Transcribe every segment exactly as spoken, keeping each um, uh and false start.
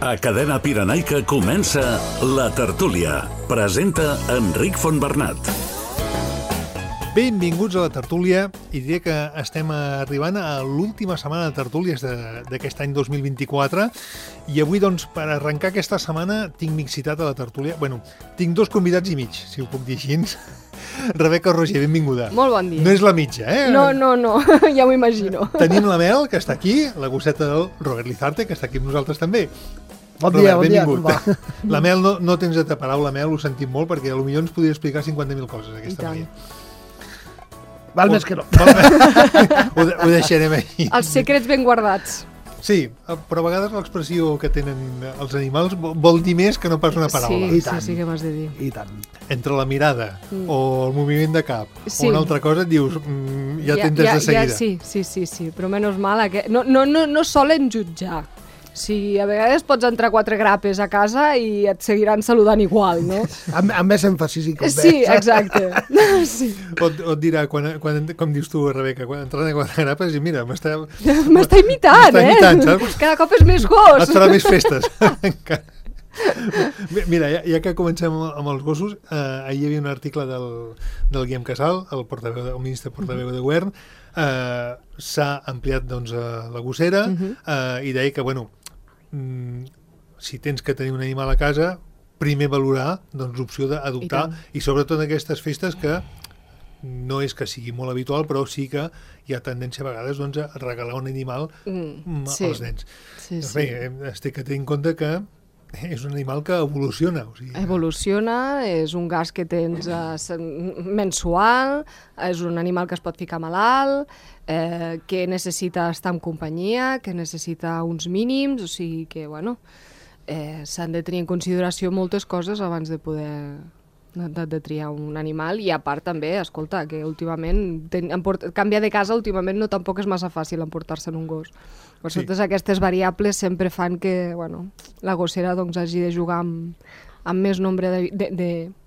A Cadena Pirenaica comença La Tertúlia. Presenta Enric Fontbernat. Benvinguts a La Tertúlia, i diré que estem arribant a l'última setmana de tertúlies d'aquest any dos mil vint-i-quatre, i avui, doncs, per arrencar aquesta setmana, tinc mixitat a La Tertúlia. Bueno, tinc dos convidats i mig, si ho puc dir així. Rebeca Roger, benvinguda. Molt bon dia. No és la mitja, eh? No, no, no, ja m'ho imagino. Tenim la Mel, que està aquí, la gosseta del Robert Lizarte, que està aquí amb nosaltres també. Bon dia, Robert, bon dia, benvingut. com va? La Mel, no, no tens de ta paraula, Mel, ho sentim molt, perquè potser ens podria explicar cinquanta mil coses, aquesta noia. Val més que no. ho, de, ho deixarem aquí. Els secrets ben guardats. Sí, però a vegades l'expressió que tenen els animals vol dir més que no pas una paraula. Sí, sí, sí que m'has de dir. I tant. Entre la mirada mm. o el moviment de cap sí. o una altra cosa et dius, mm, ja, ja t'entes ja, de seguida. Ja, sí, sí, sí, sí, però menys mal, que no, no, no, no solen jutjar. Sí, a vegades pots entrar quatre grapes a casa i et seguiran saludant igual, no? Amb, amb més èmfasis i com Sí, exacte. Sí. O, o et dirà, quan, quan, com dius tu, Rebeca, quan entren a quatre grapes i mira, m'està... M'està imitant, m'està eh? imitant, saps? Cada cop és més gos. Et farà més festes. Mira, ja, ja que comencem amb els gossos, eh, ahir hi havia un article del, del Guillem Casal, el, portaveu, el ministre portaveu de govern, eh, s'ha ampliat doncs, la gossera, uh-huh. eh, i deia que, bueno, mm, si tens que tenir un animal a casa, primer valorar doncs, l'opció d'adoptar, i, i sobretot en aquestes festes que no és que sigui molt habitual, però sí que hi ha tendència a vegades doncs, a regalar un animal mm, sí. als nens. Sí, doncs, sí. Bé, es té que tenir en compte que és un animal que evoluciona. O sigui, evoluciona, és un gas que tens eh, mensual, és un animal que es pot ficar malalt, eh, que necessita estar en companyia, que necessita uns mínims, o sigui que, bueno, eh, s'han de tenir en consideració moltes coses abans de poder de, de triar un animal, i a part també, escolta, que últimament ten, emport, canviar de casa últimament no tampoc és massa fàcil emportar-se'n un gos. Per sí. Totes aquestes variables sempre fan que, bueno, la gossera doncs, hagi de jugar amb, amb més nombre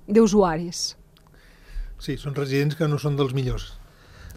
d'usuaris. Sí, són residents que no són dels millors.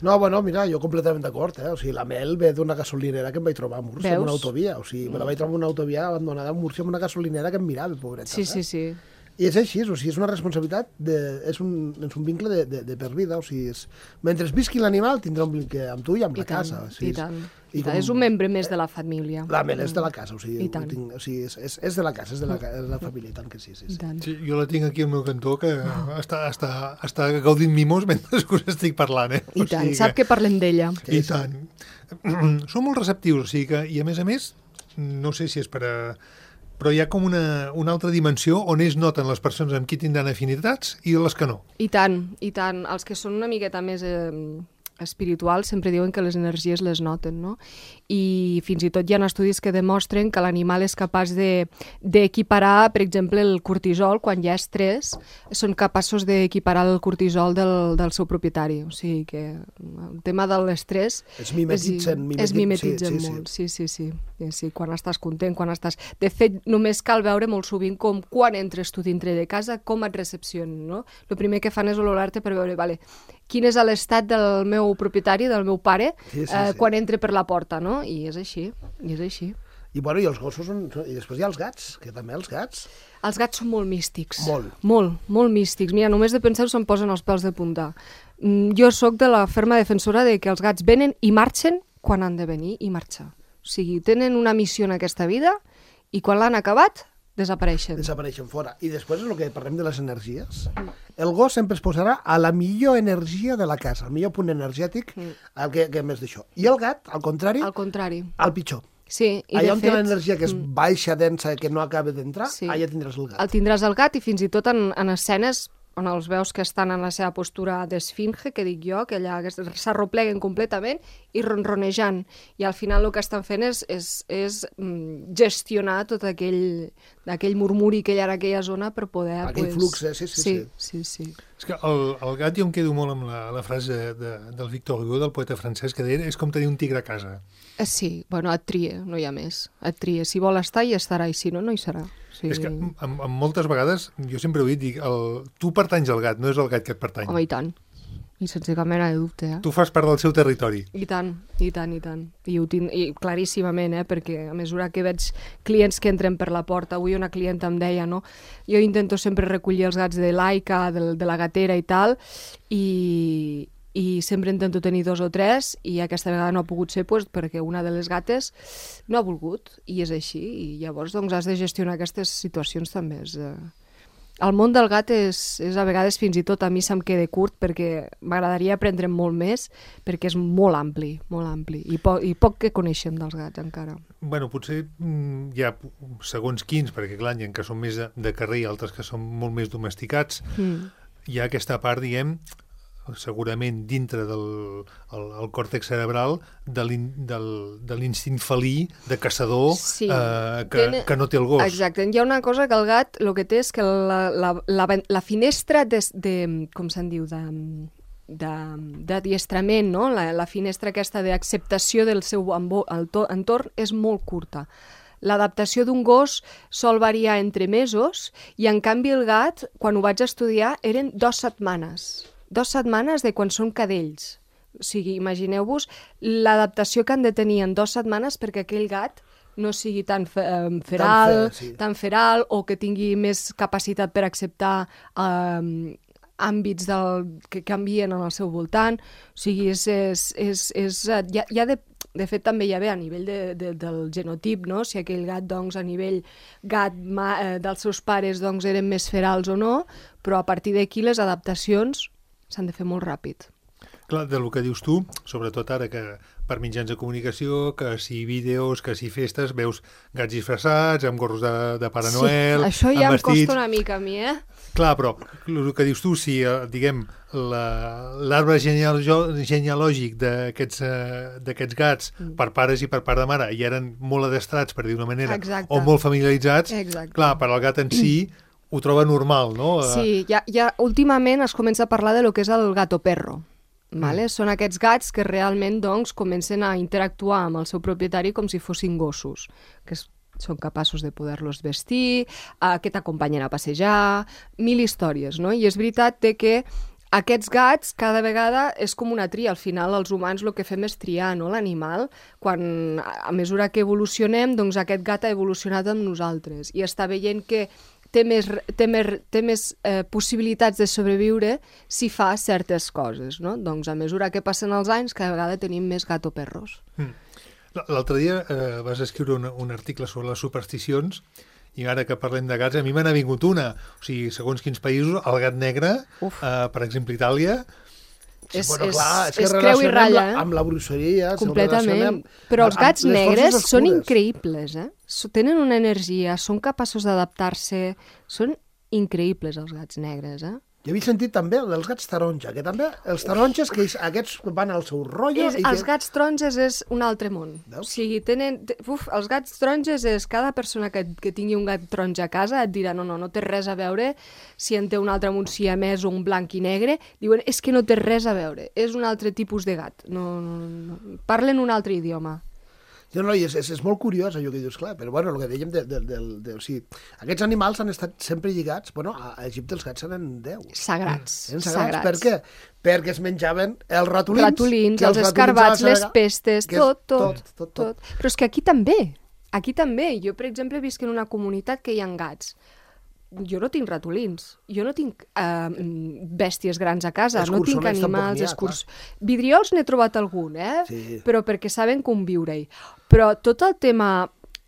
No, bueno, mira, jo completament d'acord, eh? O sigui, la Mel ve d'una gasolinera que em vaig trobar a Múrcia, en una autovia. O sigui, me la vaig trobar en una autovia abandonada a Múrcia, en una gasolinera que em mirava, pobreta. Sí, sí, sí. I és així, o sigui, és una responsabilitat, de, és, un, és un vincle de, de, de per vida, o sigui, és, mentre visqui l'animal tindrà un vincle amb tu i amb I la tant, casa. O sigui, I tant, i i tant. És un membre més de la família. La Mel és de la casa, o sigui, I tant. tinc, o sigui és, és, és de la casa, és de la, és de la família, i tant que sí, sí, sí. Sí, jo la tinc aquí al meu cantó, que oh. està, està, està gaudint mimos mentre us estic parlant, eh? I o tant, sigui sap que, que parlem d'ella. I tant. Són molt receptius, o sigui que, i a més a més, no sé si és per a... però hi ha com una, una altra dimensió on es noten les persones amb qui tindran afinitats i les que no. I tant, i tant. Els que són una miqueta més eh, espirituals sempre diuen que les energies les noten, no? I fins i tot hi ha estudis que demostren que l'animal és capaç d'equiparar, de, per exemple, el cortisol, quan hi ha estrès, són capaços d'equiparar el cortisol del, del seu propietari. O sigui que el tema de l'estrès... Es mimetitzen, mimetit, es mimetitzen sí, sí, molt, sí, sí, sí. sí, sí. Quan estàs content, quan estàs... De fet, només cal veure molt sovint com quan entres tu dintre de casa, com et recepcionen, no? El primer que fan és olorar-te per veure, vale, quin és l'estat del meu propietari, del meu pare, sí, sí, eh, sí. quan entre per la porta, no? I és així, i és així. I, bueno, i els gossos són... I després hi ha els gats, que també els gats... Els gats són molt místics. Molt. Molt, molt místics. Mira, només de pensar se'm posen els pèls de punta. Jo sóc de la ferma defensora de que els gats venen i marxen quan han de venir i marxar. O sigui, tenen una missió en aquesta vida i quan l'han acabat, desapareixen. Desapareixen fora. I després és el que parlem de les energies. El gos sempre es posarà a la millor energia de la casa, el millor punt energètic, mm. el que, que més d'això. I el gat, al contrari, al contrari, al pitjor. Sí, i allà de on fet... té l'energia que és baixa, densa, que no acaba d'entrar, sí. allà tindràs el gat. El tindràs el gat, i fins i tot en, en escenes on els veus que estan en la seva postura d'esfinge, que dic jo, que allà s'arropleguen completament i ronronejant. I al final el que estan fent és, és, és gestionar tot aquell, aquell murmuri que hi ha en aquella zona per poder... Aquell pues... flux, eh? Sí, sí, sí. sí, sí, sí. És que el, el gat jo em quedo molt amb la, la frase de, de, del Victor Hugo, del poeta francès, que deia és com tenir un tigre a casa. Sí, bueno, et tria, no hi ha més. Et tria. Si vol estar, hi estarà, i si no, no hi serà. Sí. És que amb, amb moltes vegades, jo sempre ho he dit, dic, el, tu pertanys al gat, no és el gat que et pertany. Home, i tant. I sense cap mena de dubte, eh? Tu fas part del seu territori. I tant, i tant, i tant. I ho tinc i claríssimament, eh? Perquè a mesura que veig clients que entren per la porta, avui una clienta em deia, no? Jo intento sempre recollir els gats de l'Aica, de, de la gatera i tal, i, i sempre intento tenir dos o tres, i aquesta vegada no ha pogut ser pues, perquè una de les gates no ha volgut, i és així, i llavors doncs, has de gestionar aquestes situacions també. És, eh... El món del gat és, és a vegades fins i tot a mi se'm queda curt perquè m'agradaria aprendre molt més perquè és molt ampli, molt ampli i, po i poc que coneixem dels gats encara. Bueno, potser mm, hi ha segons quins, perquè clar, hi ha que són més de, de carrer i altres que són molt més domesticats. Mm. Hi ha aquesta part, diguem, segurament dintre del el, el còrtex cerebral de l'instint felí de caçador sí. eh, que, Ten... que no té el gos. Exacte. Hi ha una cosa que el gat el que té és que la, la, la, la finestra de, de, com se'n diu, de d'adiestrament, no? la, la finestra aquesta d'acceptació del seu entorn és molt curta. L'adaptació d'un gos sol variar entre mesos i, en canvi, el gat, quan ho vaig estudiar, eren dues setmanes. Dues setmanes de quan són cadells. O sigui, imagineu-vos l'adaptació que han de tenir en dues setmanes perquè aquell gat no sigui tan feral, tan, fer, sí. tan feral o que tingui més capacitat per acceptar eh, àmbits del, que canvien en el seu voltant. O sigui, és... és, és, és hi ha, hi ha de, de fet, també hi ha bé a nivell de, de, del genotip, no? Si aquell gat, doncs, a nivell gat ma, eh, dels seus pares doncs, eren més ferals o no, però a partir d'aquí les adaptacions s'han de fer molt ràpid. Clar, del que dius tu, sobretot ara que per mitjans de comunicació, que si vídeos, que si festes, veus gats disfressats, amb gorros de, de Pare Noel, sí, això ja em vestits... em costa una mica a mi, eh? Clar, però el que dius tu, si, diguem, l'arbre genealògic d'aquests uh, gats mm. per pares i per part de mare i eren molt adestrats, per dir d'una manera, exacte. O molt familiaritzats, exacte. Clar, per al gat en si ho troba normal, no? Sí, ja, ja últimament es comença a parlar de lo que és el gato perro. Vale? Mm. Són aquests gats que realment doncs, comencen a interactuar amb el seu propietari com si fossin gossos, que és, són capaços de poder-los vestir, eh, que t'acompanyen a passejar, mil històries, no? I és veritat que aquests gats cada vegada és com una tria. Al final els humans el que fem és triar, no? L'animal. Quan, a mesura que evolucionem, doncs aquest gat ha evolucionat amb nosaltres i està veient que té més, té més, té més eh, possibilitats de sobreviure si fa certes coses, no? Doncs a mesura que passen els anys, cada vegada tenim més gato perros. Mm. L'altre dia eh, vas escriure un, un article sobre les supersticions i ara que parlem de gats, a mi me n'ha vingut una. O sigui, segons quins països, el gat negre, eh, per exemple, Itàlia... És, bueno, és, clar, és, és creu i ratlla, eh? Amb la bruixeria... Completament. Però els gats negres són increïbles, eh? Tenen una energia, són capaços d'adaptar-se, són increïbles els gats negres, eh? Jo havia sentit també dels gats taronja, que també els taronges, que aquests van al seu rotllo... És, i els que... gats taronges és un altre món. Veus? O sigui, tenen... Uf, els gats taronges és... Cada persona que, que tingui un gat taronja a casa et dirà no, no, no té res a veure si en té un altre amb un siamès o un blanc i negre. Diuen, és que no té res a veure. És un altre tipus de gat. No, no, no. Parlen un altre idioma. No, no, és, és, és molt curiós allò que dius, clar, però bueno, el que dèiem de, de, de, de, o sigui, aquests animals han estat sempre lligats, bueno, a Egipte els gats eren déus. Sagrats. Eren sagrats. sagrats. Per què? Perquè es menjaven els ratolins. Ratolins, els, els escarbats, les pestes, tot tot, tot, tot, tot, tot. Però és que aquí també, aquí també. Jo, per exemple, visc en una comunitat que hi ha gats. Jo no tinc ratolins, jo no tinc eh, bèsties grans a casa, no tinc animals, escurs... Vidriols n'he trobat algun, eh? Sí. Però perquè saben conviure-hi. Però tot el tema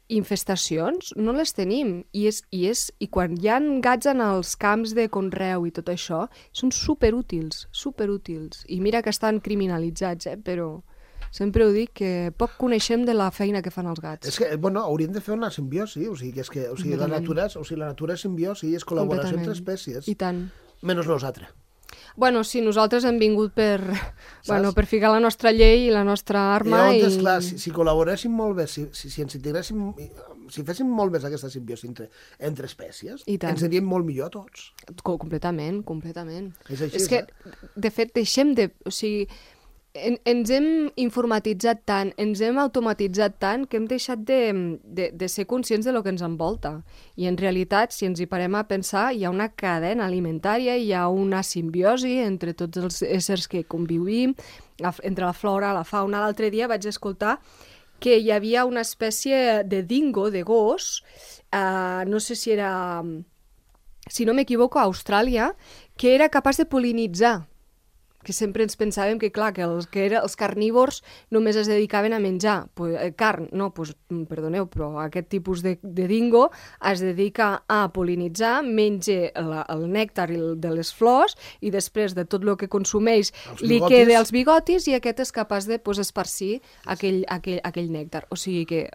infestacions no les tenim. I, és, i, és, I quan hi ha gats en els camps de conreu i tot això, són superútils, superútils. I mira que estan criminalitzats, eh? Però... Sempre ho dic, que poc coneixem de la feina que fan els gats. És que, bueno, hauríem de fer una simbiosi, o sigui, que és que, o sigui, la natura, o sigui, la natura és simbiosi, és col·laboració entre espècies. I tant. Menys nosaltres. Bueno, sí, nosaltres hem vingut per, bueno, per ficar la nostra llei i la nostra arma. I llavors, i... clar, si, si col·laboréssim molt bé, si, si, si ens integréssim, si féssim molt més aquesta simbiosi entre, entre espècies, ens aniríem molt millor a tots. Completament, completament. És així, és que, eh? de fet, deixem de... O sigui, En, ens hem informatitzat tant, ens hem automatitzat tant que hem deixat de, de, de ser conscients de lo que ens envolta. I en realitat, si ens hi parem a pensar, hi ha una cadena alimentària, hi ha una simbiosi entre tots els éssers que convivim, la, entre la flora, la fauna. L'altre dia vaig escoltar que hi havia una espècie de dingo, de gos, eh, no sé si era, si no m'equivoco, a Austràlia, que era capaç de pol·linitzar, que sempre ens pensàvem que, clar, que els, que era, els carnívors només es dedicaven a menjar pues, eh, carn. No, pues, perdoneu, però aquest tipus de, de dingo es dedica a pol·linitzar, menja la, el nèctar de les flors i després de tot el que consumeix li queda els bigotis i aquest és capaç de pues, esparcir aquell, aquell, aquell nèctar. O sigui que,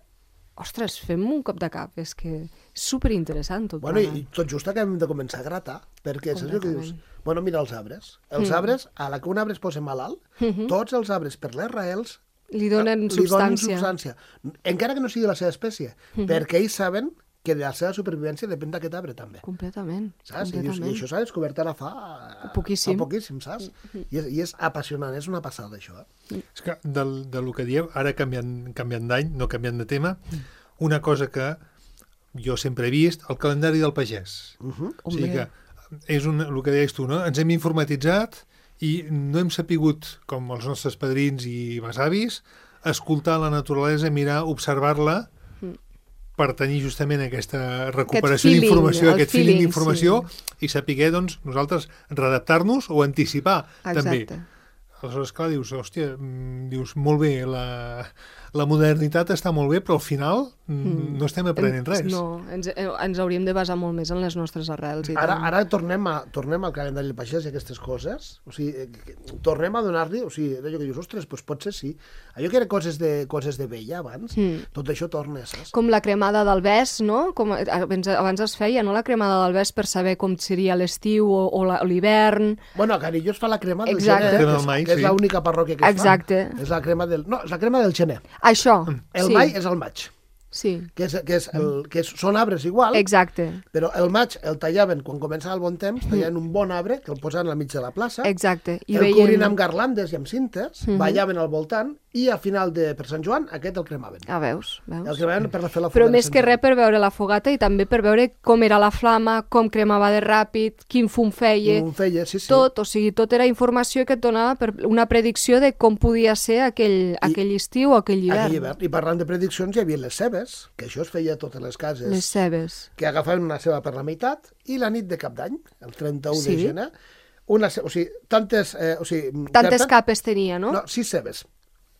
ostres, fem un cop de cap, és que és superinteressant tot. Bueno, i tot just acabem de començar a gratar, perquè saps el que dius? Bueno, mira els arbres. Els mm. arbres, a la que un arbre es posa malalt, mm -hmm. tots els arbres, per les raels, li donen li substància. Donen substància. Encara que no sigui de la seva espècie, mm -hmm. perquè ells saben que de la seva supervivència depèn d'aquest arbre també. Completament. Saps? completament. I, dius, I això s'ha descobert ara fa... Poquíssim. Fa poquíssim, saps? Mm -hmm. I, és, I és apassionant, és una passada, això. Eh? Mm. És que del, del que dieu, ara canviant, canviant d'any, no canviant de tema, mm. una cosa que jo sempre he vist, el calendari del pagès. Uh -huh. O sigui que és un, el que deies tu, no? Ens hem informatitzat i no hem sapigut, com els nostres padrins i besavis, escoltar la naturalesa, mirar, observar-la mm. per tenir justament aquesta recuperació d'informació, aquest feeling d'informació sí. i saber, doncs, nosaltres redactar-nos o anticipar Exacte. també. Aleshores, clar, dius, hòstia, dius, molt bé, la, la modernitat està molt bé, però al final mm. no estem aprenent res. No, ens, ens hauríem de basar molt més en les nostres arrels. I ara tant. ara tornem, a, tornem al calendari del pagès i aquestes coses. O sigui, tornem a donar-li... O sigui, allò que dius, ostres, doncs potser sí. Allò que eren coses de, coses de vella abans, mm. tot això torna, saps? Com la cremada del bes, no? Com abans, abans es feia, no? La cremada del bes per saber com seria l'estiu o, o l'hivern. Bueno, a Canillo es fa la crema del Exacte. gener, Crema que és, mai, que és sí. l'única parròquia que es Exacte. fa. És la crema del... No, és la crema del gener. Això, El sí. mai és el maig. Sí. Que, és, que, és el, que és, són arbres igual, Exacte. però el maig el tallaven, quan començava el bon temps, tallaven un bon arbre que el posaven al mig de la plaça, Exacte. I el veien... cobrien amb garlandes i amb cintes, Mhm. ballaven al voltant, i a final de per Sant Joan aquest el cremaven. Ah, veus? veus? El cremaven per fer la Però fogata. més que res per veure la fogata i també per veure com era la flama, com cremava de ràpid, quin fum feia, Un feia, sí, sí. tot, o sigui, tot era informació que et donava per una predicció de com podia ser aquell, I, aquell estiu o aquell hivern. Aquell hivern. I parlant de prediccions, hi havia les cebes, que això es feia a totes les cases, Les cebes. que agafaven una ceba per la meitat, i la nit de Cap d'Any, el trenta-u Sí. de gener, una ceba, o sigui, tantes... Eh, o sigui, Tantes per tant, capes tenia, no? No, sis cebes,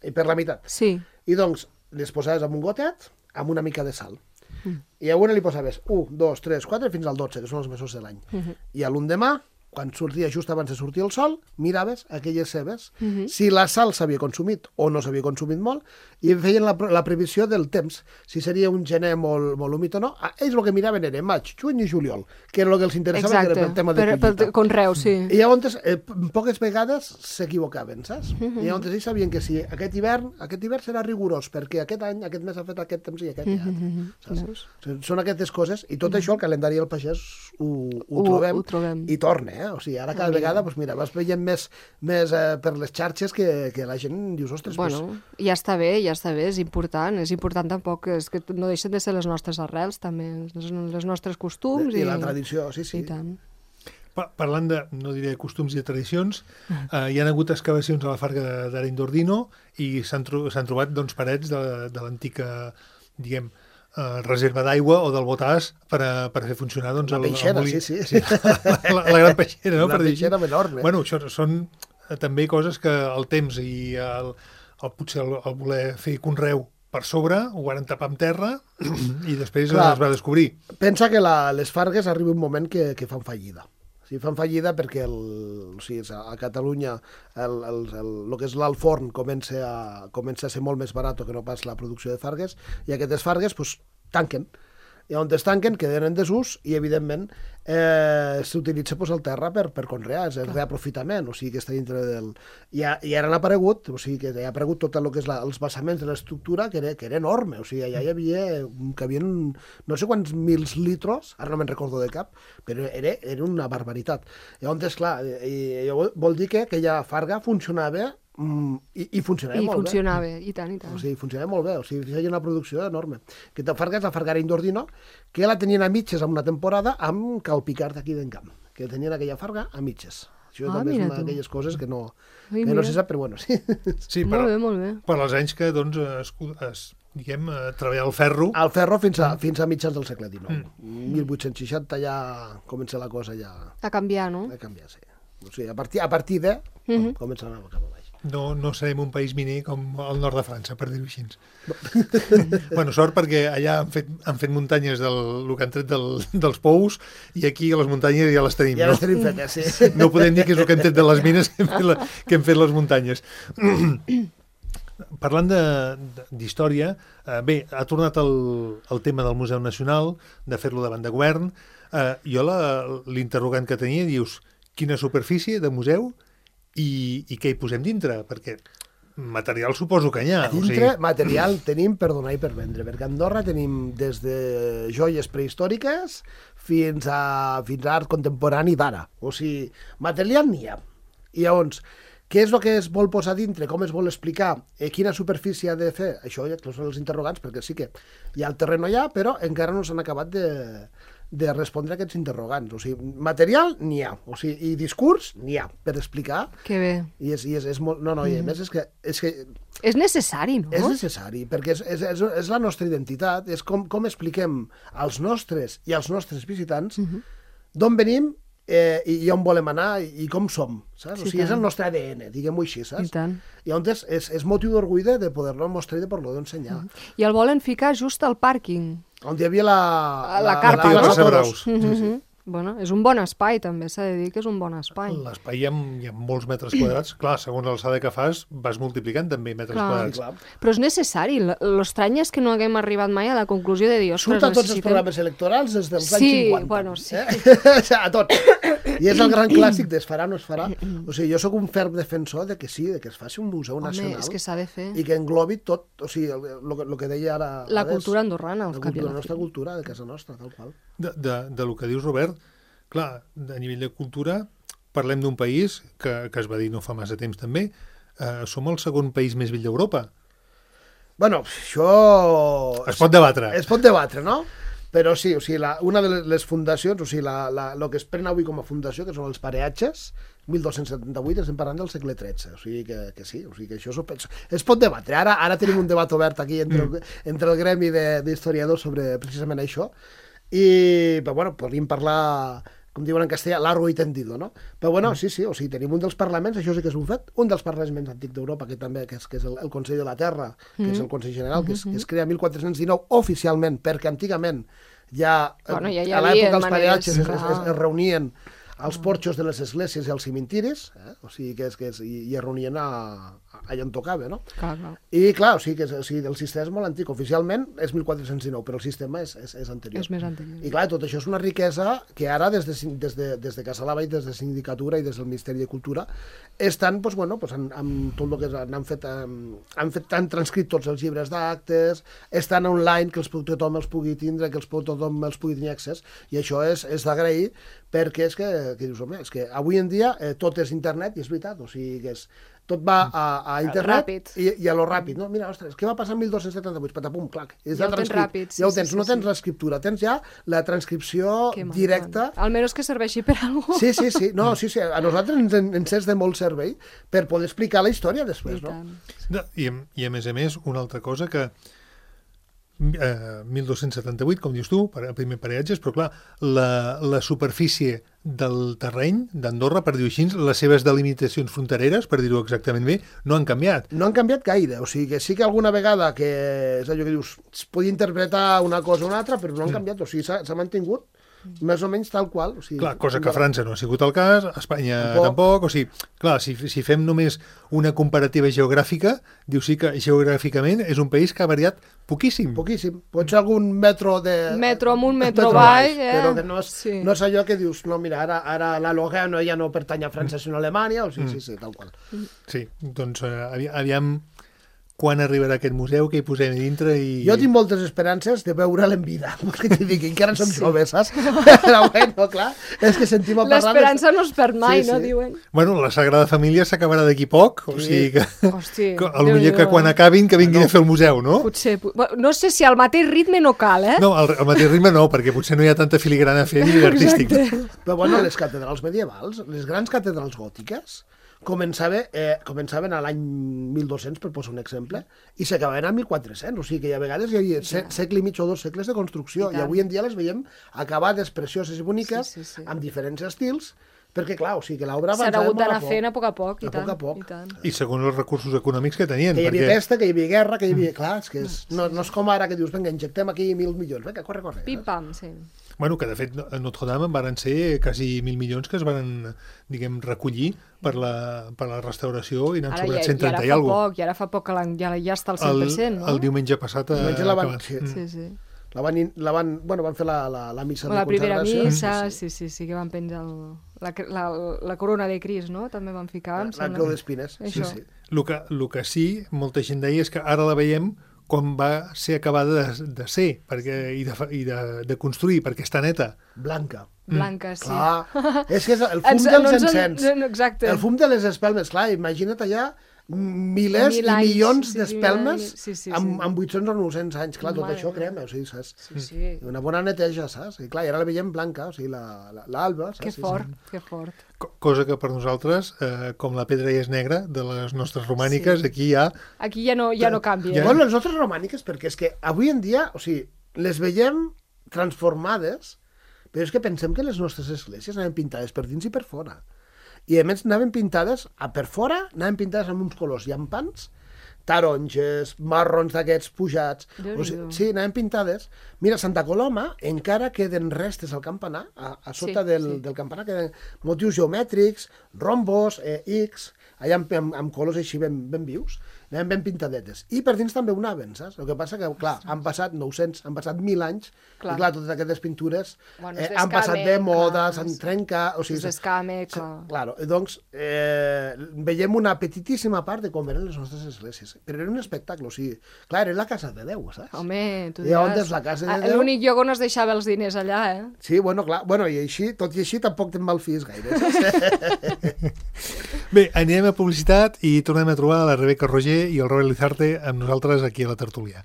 i per la meitat. Sí. I doncs les posaves amb un gotet amb una mica de sal. Mm. I a una li posaves un, dos, tres, quatre, fins al dotze, que són els mesos de l'any. Mm -hmm. I a l'endemà, quan sortia just abans de sortir el sol, miraves aquelles cebes, mm -hmm. si la sal s'havia consumit o no s'havia consumit molt, i feien la, la previsió del temps, si seria un gener molt, molt humit o no. Ells el que miraven era maig, juny i juliol, que era el que els interessava, Exacte. que era el tema de per, collita. per conreu, sí. I llavors, eh, poques vegades s'equivocaven, saps? Mm -hmm. I llavors ells sabien que si aquest hivern, aquest hivern serà rigorós, perquè aquest any, aquest mes ha fet aquest temps i aquest ja. Mm -hmm. Saps? Són aquestes coses, i tot mm -hmm. això, el calendari del pagès, ho, ho, Ho- trobem, ho trobem. i torna, eh? O sigui, ara cada vegada, doncs mira, vas veient més, més eh, per les xarxes que, que la gent dius, ostres, Bueno, pues, ja està bé, ja està bé, és important, és important tampoc, és que no deixen de ser les nostres arrels també, les, les nostres costums i, i, la tradició, sí, sí. i tant. Pa- Parlant de, no diré costums i tradicions, eh, hi ha hagut excavacions a la Farga d'Arenys d'Ordino i s'han tro s'han trobat doncs, parets de, de l'antica, diguem, eh, reserva d'aigua o del botàs per, a, per fer funcionar doncs, La el, el peixera, molí. sí, sí. sí. La, la, la gran peixera, no? Una per dir així. peixera enorme. Bueno, això són eh, també coses que el temps i el, el potser el, el voler fer conreu per sobre, ho van tapar amb terra i després Clar. es va descobrir. Pensa que la, les Fargues arriba un moment que, que fan fallida. O sigui, fan fallida perquè el, o sigui, a Catalunya el, el, el, el que és l'alforn comença a, comença a ser molt més barat que no pas la producció de fargues, i aquestes fargues pues, tanquen. I on es tanquen queden en desús i, evidentment, eh, s'utilitza pues, el terra per, per conrear, és el reaprofitament, o sigui que està dintre del... I, ha, i ara han aparegut, o sigui que ha aparegut tot el que és la, els basaments de l'estructura, que, era, que era enorme, o sigui, allà hi havia, que havia no sé quants mils litros, ara no me'n recordo de cap, però era, era una barbaritat. Llavors, clar, i, i vol dir que aquella farga funcionava mm, i, i funcionava I molt funcionava, bé. i tant, i tant. O sigui, funcionava molt bé, o sigui, feia una producció enorme. Que te Farga és la Fargara Indordino, que la tenien a mitges en una temporada amb Cal Picard d'aquí d'Encamp, que tenien aquella Farga a mitges. Això Ah, també és mira una tu. d'aquelles coses que no, Ai, que no mira. se sap, però bueno, sí. Sí, Molt per, bé, molt bé. per als anys que doncs, es, es, diguem, eh, treballar el ferro... Al ferro fins a, fins a mitjans del segle dinou. Mm. mil vuit-cents seixanta ja comença la cosa ja A canviar, no? a canviar, sí. O sigui, a partir, a partir de Mhm. comença a anar cap a baix. No, no serem un país miner com el nord de França, per dir-ho així. bueno, sort perquè allà han fet, han fet muntanyes del el que han tret del, dels pous i aquí a les muntanyes ja les tenim. Ja no? les tenim fetes, sí. No podem dir que és el que hem tret de les mines que hem fet, la, que hem fet les muntanyes. Parlant de- d'història, eh, bé, ha tornat el, el tema del Museu Nacional, de fer-lo davant de govern. Eh, jo la- l'interrogant que tenia, dius, quina superfície de museu i, i què hi posem dintre? Perquè material suposo que n'hi ha. A dintre, material tenim per donar i per vendre, perquè a Andorra tenim des de joies prehistòriques fins a, fins a art contemporani d'ara. O sigui, material n'hi ha. I llavors, què és el que es vol posar dintre? Com es vol explicar? Eh, quina superfície ha de fer? Això ja són els interrogants, perquè sí que hi ha el terreno allà, però encara no s'han acabat de, de respondre a aquests interrogants. O sigui, material n'hi ha. O sigui, i discurs n'hi ha per explicar. Que bé. I és, i és, és molt... No, no, i a més és que, és que És necessari, no? és necessari, perquè és, és, és, és la nostra identitat, és com, com expliquem als nostres i als nostres visitants uh -huh. d'on venim eh, i, i on volem anar i, i com som, saps? Sí, O sigui, és tant. el nostre A D N, diguem-ho així, I saps? tant. I llavors és, és motiu d'orgull de, de poder-lo mostrar i de poder-lo ensenyar. Uh -huh. I el volen ficar just al pàrquing. On hi havia la... A la carpa, no? Casa Braus. Mm -hmm. Bueno, és un bon espai, també, s'ha de dir que és un bon espai. L'espai hi, ha, hi ha molts metres quadrats. Clar, segons l'alçada que fas, vas multiplicant també metres Clar. quadrats. Clar. Però és necessari. L- L'estrany és que no haguem arribat mai a la conclusió de dir, ostres, Surt a tots els necessitem... programes electorals des dels Sí, anys cinquanta. bueno, sí. Eh? A tots. I és el gran clàssic de es farà o no es farà. O sigui, jo sóc un ferm defensor de que sí, de que es faci un museu Home, nacional és que s'ha de fer. i que englobi tot, o sigui, el, el, que- el que deia ara... La ara és cultura andorrana, al la, cap i a cultura, la la nostra fi. cultura, de casa nostra, tal qual. De, de, de lo que dius, Robert, clar, a nivell de cultura, parlem d'un país que, que es va dir no fa massa temps també, eh, som el segon país més vell d'Europa. Bueno, això... Es pot debatre. Es pot debatre, no? Però sí, o sigui, la, una de les fundacions, o sigui, la, la, el que es pren avui com a fundació, que són els pareatges, mil dos-cents setanta-vuit, estem parlant del segle tretze, o sigui que, que sí, o sigui que això es, es pot debatre. Ara, ara tenim un debat obert aquí entre, mm. el, entre el gremi d'historiadors sobre precisament això, i, però bueno, podríem parlar, com diuen en castellà, largo i tendido, no? Però bueno, sí, sí, o sigui, tenim un dels parlaments, això sí que és un fet, un dels parlaments més antics d'Europa, que també que és, que és el, el Consell de la Terra, que mm. és el Consell General, que es, que es crea en mil quatre-cents dinou oficialment, perquè antigament ja, Bueno, ja hi a havia l'època dels maneres, pareatges es, es, clar. es, es reunien als porxos de les esglésies i als cimentiris, eh? O sigui, que és, que és, i, i es reunien a, a, allà on tocava, no? Clar, clar. I clar, o sigui, que és, o sigui, el sistema és molt antic, oficialment és mil quatre-cents dinou, però el sistema és, és, és anterior. És més anterior. I clar, tot això és una riquesa que ara des de, des de, des de Casa Lava i des de Sindicatura i des del Ministeri de Cultura estan, doncs, bueno, doncs, han, amb tot el que han, han fet, han, han fet, han transcrit tots els llibres d'actes, estan online, que els, tothom els pugui tindre, que els, tothom els pugui tenir accés, i això és, és d'agrair, perquè és que, que dius, home, és que avui en dia eh, tot és internet, i és veritat, o sigui, que és, tot va a, a internet Ràpid. i, i a lo ràpid, no? Mira, ostres, què va passar en mil dos-cents setanta-vuit? Patapum, clac. És Ja la ho tens transcri- ràpid, sí, ja ho sí, tens, sí, no tens sí. l'escriptura, tens ja la transcripció Que maco. directa. Almenys que serveixi per alguna cosa. Sí, sí, sí, no, sí, sí, a nosaltres ens, en- ens és de molt servei per poder explicar la història després, I no? tant. No, i, a- I a més a més, una altra cosa que eh, mil dos-cents setanta-vuit, com dius tu, per, primer pareatges, però clar, la, la superfície del terreny d'Andorra, per dir-ho així, les seves delimitacions frontereres, per dir-ho exactament bé, no han canviat. No han canviat gaire, o sigui que sí que alguna vegada que és allò que dius, es podia interpretar una cosa o una altra, però no han canviat, o sigui, s'ha s'ha mantingut més o menys tal qual. O sigui, Clar, cosa que a França no ha sigut el cas, a Espanya tampoc, Tampoc. o sigui, clar, si, si fem només una comparativa geogràfica, diu sí que geogràficament és un país que ha variat poquíssim. Poquíssim. Pot ser algun metro de... Metro amunt, metro avall, eh? Però que no és, Sí. no és allò que dius, no, mira, ara, ara la Logano ja no pertany a França sinó a Alemanya, o sí, sí, sí, tal qual. Sí, doncs eh, avi- aviam quan arribarà aquest museu, què hi posem a dintre i... Jo tinc moltes esperances de veure'l en vida, que t'hi dic, encara som sí. joves, saps? Però bueno, clar, és que sentim a parlar... L'esperança no es perd mai, sí, no, sí. diuen? Bueno, la Sagrada Família s'acabarà d'aquí poc, o Sí. sigui que... Hosti, que a lo millor que quan acabin que vinguin no. a fer el museu, no? Potser, no sé si al mateix ritme no cal, eh? No, al, al mateix ritme no, perquè potser no hi ha tanta filigrana a fer ni artístic. Però bueno, les catedrals medievals, les grans catedrals gòtiques, començava, eh, començaven a l'any mil dos-cents, per posar un exemple, i s'acabaven a mil quatre-cents, o sigui que a vegades hi havia se segle i mig o dos segles de construcció, i, i avui en dia les veiem acabades, precioses i boniques, sí, sí, sí. amb diferents estils, perquè clar, o sigui que l'obra S'ha avançava hagut molt d'anar a poc. fent a poc a poc, i A tant. poc a poc. I tant. I segons els recursos econòmics que tenien. Que hi havia perquè... pesta, que hi havia guerra, que hi havia... Clar, és que és, no, no és com ara que dius, vinga, injectem aquí mil milions, vinga, corre, corre. Pim-pam, sí. Bueno, que de fet a Notre Dame van ser quasi mil milions que es van, diguem, recollir per la, per la restauració i n'han Ara sobrat ja, cent i ara trenta i fa alguna poc, i ara fa poc que l'han- ja, ja està al cent per cent, el, no? el diumenge passat ha Diumenge la van- acabat. sí. Mm. Sí, sí. La van, in- la van, bueno, van fer la, la, la missa La de primera consagració. missa, sí, sí, sí, que van penjar el, la, la, la corona de Cris, no? També van ficar, em La sembla. creu d'espines, sí, Això. sí. El que, el que sí, molta gent deia és que ara la veiem com va ser acabada de, de ser perquè, i, de, i de, de construir, perquè està neta. Blanca. Blanca, sí. Clar, és que és el fum Ens- dels no ens en- encens. no, exacte. El fum de les espelmes, clar, imagina't allà milers Mil i anys, milions sí, sí, d'espelmes mil- sí, sí, amb, sí. amb vuit-cents o nou-cents anys. Clar, tot Mare això meva. crema, o sigui, saps? Sí, sí. Una bona neteja, saps? I clar, i ara la veiem blanca, o sigui, la- la- l'alba, saps? Que Sí, sí. fort, que fort. Co- Cosa que per nosaltres, eh, com la pedra ja és negra, de les nostres romàniques, Sí. aquí hi ha... Aquí ja no, ja no canvia. Ja. eh? Bueno, les nostres romàniques, perquè és que avui en dia, o sigui, les veiem transformades, però és que pensem que les nostres esglésies anaven pintades per dins i per fora. I a més anaven pintades, a per fora, anaven pintades amb uns colors llampants, taronges, marrons d'aquests pujats... O sigui, Déu-n'hi-do. sí, anaven pintades. Mira, a Santa Coloma encara queden restes al campanar, a, a sota Sí, del, sí. del campanar queden motius geomètrics, rombos, eh, X, allà amb, amb, amb colors així ben, ben vius, anaven ben pintadetes. I per dins també ho anaven, saps? El que passa que, clar, han passat nou-cents, han passat mil anys, Clar. i clar, totes aquestes pintures Bueno, eh, es han passat de descamen, moda, clar, s'han es- trencat... O sigui, Es descame, clar. Claro, doncs eh, veiem una petitíssima part de com eren les nostres esglésies. Però era un espectacle, o sigui, clar, era la casa de Déu, saps? Home, tu I on diràs. és la casa de Ah, Déu? L'únic lloc on es deixava els diners allà, eh? Sí, bueno, clar, bueno, i així, tot i així tampoc te'n malfies gaire. Saps? Bé, anirem a publicitat i tornem a trobar la Rebeca Roger i el Robert Lizarte amb nosaltres aquí a la tertúlia.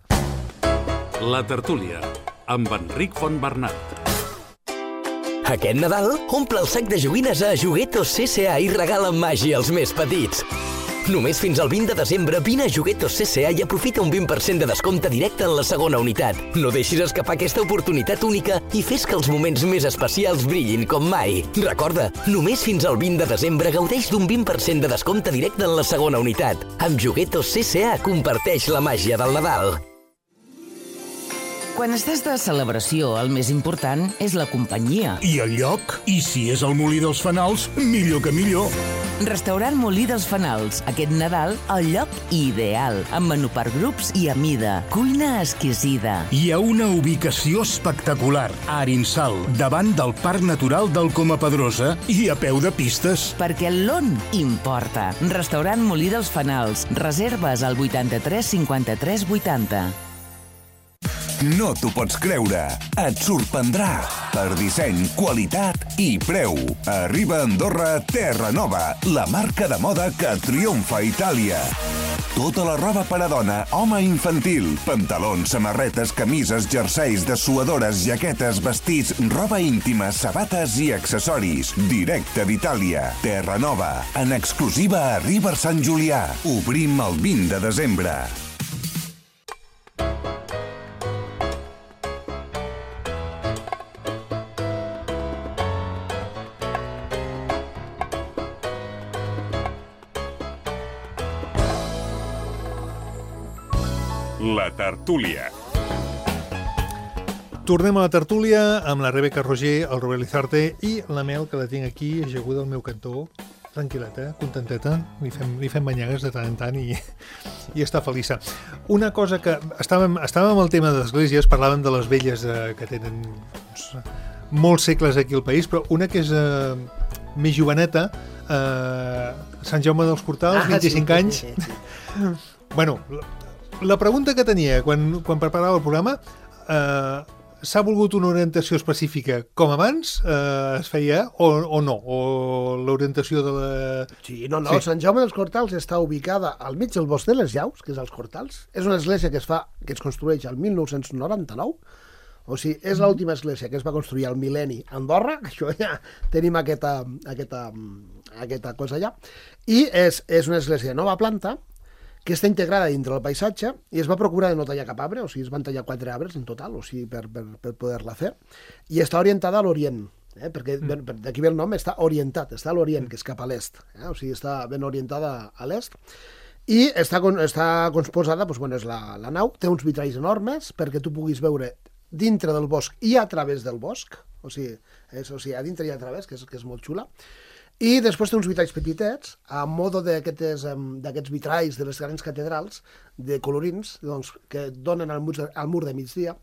La tertúlia, amb Enric Fontbernat. Aquest Nadal, omple el sac de joguines a Juguetos C C A i regala màgia als més petits. Només fins al vint de desembre vine a Juguetos C C A i aprofita un vint per cent de descompte directe en la segona unitat. No deixis escapar aquesta oportunitat única i fes que els moments més especials brillin com mai. Recorda, només fins al vint de desembre gaudeix d'un vint per cent de descompte directe en la segona unitat. Amb Juguetos C C A comparteix la màgia del Nadal. Quan estàs de celebració, el més important és la companyia. I el lloc? I si és el Molí dels Fanals, millor que millor. Restaurant Molí dels Fanals. Aquest Nadal, el lloc ideal. Amb menú per grups i a mida. Cuina exquisida. Hi ha una ubicació espectacular, a Arinsal, davant del Parc Natural del Coma Pedrosa i a peu de pistes. Perquè l'on importa. Restaurant Molí dels Fanals. Reserves al vuitanta-tres cinquanta-tres vuitanta. No t'ho pots creure. Et sorprendrà. Per disseny, qualitat i preu. Arriba a Andorra Terra Nova, la marca de moda que triomfa a Itàlia. Tota la roba per a dona, home i infantil. Pantalons, samarretes, camises, jerseis, dessuadores, jaquetes, vestits, roba íntima, sabates i accessoris. Directe d'Itàlia. Terra Nova. En exclusiva a River Sant Julià. Obrim el vint de desembre. La tertúlia. Tornem a la tertúlia amb la Rebeca Roger, el Robert Lizarte i la Mel, que la tinc aquí, ajaguda al meu cantó, tranquil·leta, contenteta, li fem, li fem banyagues de tant en tant i, i està feliça. Una cosa que... Estàvem, estàvem amb el tema de l'esglésies, parlàvem de les velles eh, que tenen doncs, molts segles aquí al país, però una que és eh, més joveneta, eh, Sant Jaume dels Portals, Ah, vint-i-cinc sí, anys. sí, sí. Bueno, la pregunta que tenia quan, quan preparava el programa, eh, s'ha volgut una orientació específica com abans eh, es feia o, o no? O l'orientació de la... Sí, no, no, sí. Sant Jaume dels Cortals està ubicada al mig del bosc de les Llaus, que és als Cortals. És una església que es fa que es construeix al mil nou-cents noranta-nou. O sigui, és l'última església que es va construir al mil·lenni a Andorra, això ja tenim aquesta, aquesta, aquesta cosa allà. I és, és una església de nova planta, que està integrada dintre del paisatge i es va procurar de no tallar cap arbre, o sigui, es van tallar quatre arbres en total, o sigui, per, per, per poder-la fer, i està orientada a l'Orient, eh? perquè mm. d'aquí ve el nom, està orientat, està a l'Orient, que és cap a l'est, eh? O sigui, està ben orientada a l'est, i està, està composada, doncs, bueno, és la, la nau, té uns vitralls enormes perquè tu puguis veure dintre del bosc i a través del bosc, o sigui, és, o sigui a dintre i a través, que és, que és molt xula. I després té uns vitralls petitets, a modo d'aquests vitralls de les grans catedrals, de colorins, doncs, que donen al mur, al mur de migdia,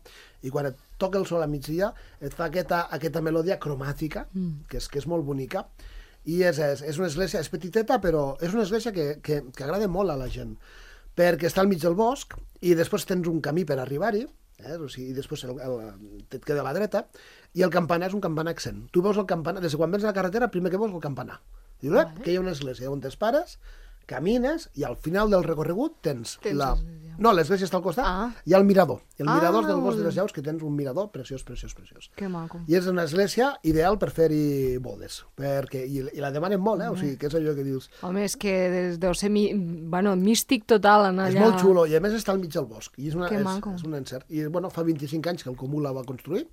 i quan et toca el sol a migdia et fa aquesta, aquesta melodia cromàtica, mm. que, és, que és molt bonica, i és, és, és una església, és petiteta, però és una església que, que, que agrada molt a la gent, perquè està al mig del bosc, i després tens un camí per arribar-hi, eh? O sigui, i després el, el, et queda a la dreta, i el campanar és un campanar accent. Tu veus el campanar, des de quan vens a la carretera, primer que veus el campanar. Dius, eh, que hi ha una església on t'es pares, camines, i al final del recorregut tens, tens la... No, l'església està al costat, ah. hi ha el mirador. El ah, mirador del bosc de les Llaus, que tens un mirador preciós, preciós, preciós. Que maco. I és una església ideal per fer-hi bodes, perquè, i, i la demanen molt, eh? O sigui, que és allò que dius... Home, és que deu ser mi... bueno, místic total anar allà. És molt xulo, i a més està al mig del bosc. I és, una, que és, maco. És un encert. I, bueno, fa vint-i-cinc anys que el Comú la va construir,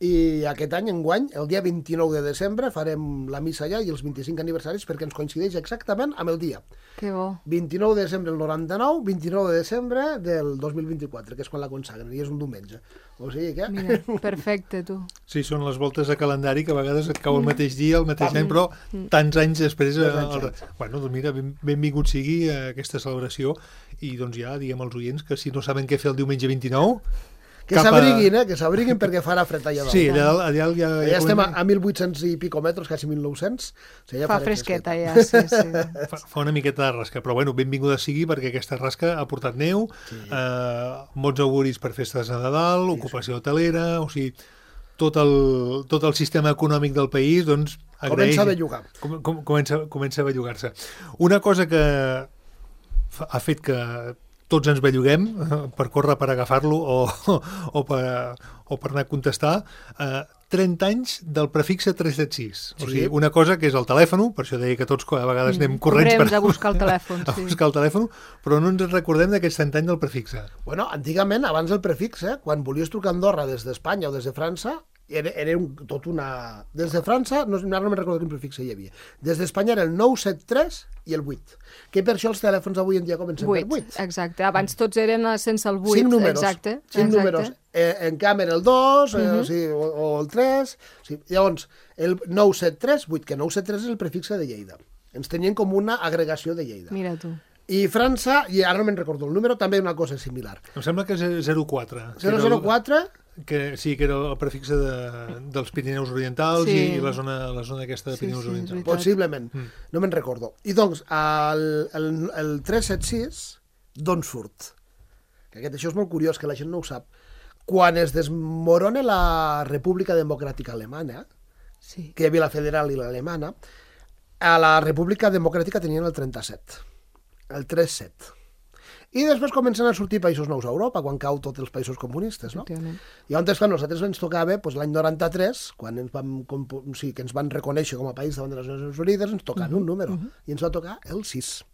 i aquest any, enguany, el dia vint-i-nou de desembre, farem la missa allà i els vint-i-cinc aniversaris perquè ens coincideix exactament amb el dia. Que bo. vint-i-nou de desembre del noranta-nou, vint-i-nou de desembre del dos mil vint-i-quatre, que és quan la consagren, i és un diumenge. O sigui que... Mira, perfecte, tu. Sí, són les voltes de calendari que a vegades et cau el mateix dia, el mateix any, però tants anys després... El... Bueno, doncs mira, ben, benvingut sigui a aquesta celebració, i doncs ja diguem als oients que si no saben què fer el diumenge vint-i-nou... Que s'abriguin, eh? Que s'abriguin perquè farà fred allà dalt. Sí, allà, allà, allà, allà estem a, a mil vuit-cents i pico metres, quasi mil nou-cents. O sigui, fa fresqueta, ja, sí, sí. Fa, fa una miqueta de rasca, però bueno, benvinguda sigui perquè aquesta rasca ha portat neu, sí. eh, bons auguris per festes de Nadal, sí, ocupació hotelera, o sigui, tot el, tot el sistema econòmic del país, doncs, agraeix... Comença a bellugar. Com, com, comença, comença a bellugar-se. Una cosa que ha fet que tots ens belluguem per córrer per agafar-lo o, o, per, o per anar a contestar, eh, trenta anys del prefixe tres set sis. O sigui, una cosa que és el telèfon, per això deia que tots a vegades anem corrents per a buscar el telèfon, a buscar el telèfon, però no ens recordem d'aquests trenta anys del prefixe. Bueno, antigament, abans del prefixe, quan volies trucar a Andorra des d'Espanya o des de França, era, era un, tot una... Des de França, no, no me'n recordo quin prefixe hi havia. Des d'Espanya era el nou set tres i el vuit. Que per això els telèfons avui en dia comencen per vuit. Exacte. Abans tots eren sense el vuit. Cinc números. Exacte. Cinc exacte. números. Eh, en canvi era el dos, uh -huh. eh, o, sigui, o, o el tres... O sigui, llavors, el nou set tres vuit, que nou set tres és el prefixe de Lleida. Ens tenien com una agregació de Lleida. Mira tu. I França, i ara no me'n recordo el número, també una cosa similar. Em sembla que és zero quatre. zero zero quatre... Que, sí, que era el prefixe de, dels Pirineus Orientals, sí. i la zona, la zona aquesta de Pirineus sí, sí, Orientals. Possiblement, mm. no me'n recordo. I doncs, el, el, el tres set sis, d'on surt? Que aquest, això és molt curiós, que la gent no ho sap. Quan es desmorona la República Democràtica Alemanya, sí. que hi havia la federal i l'alemana, a la República Democràtica tenien el trenta-set, el tres set. I després comencen a sortir països nous a Europa, quan cau tots els països comunistes, no? I llavors, clar, nosaltres ens tocava, doncs, l'any noranta-tres, quan ens vam, o sigui, que ens van reconèixer com a país davant de les Nacions Unides, ens tocava uh -huh, un número, uh -huh. i ens va tocar el sis.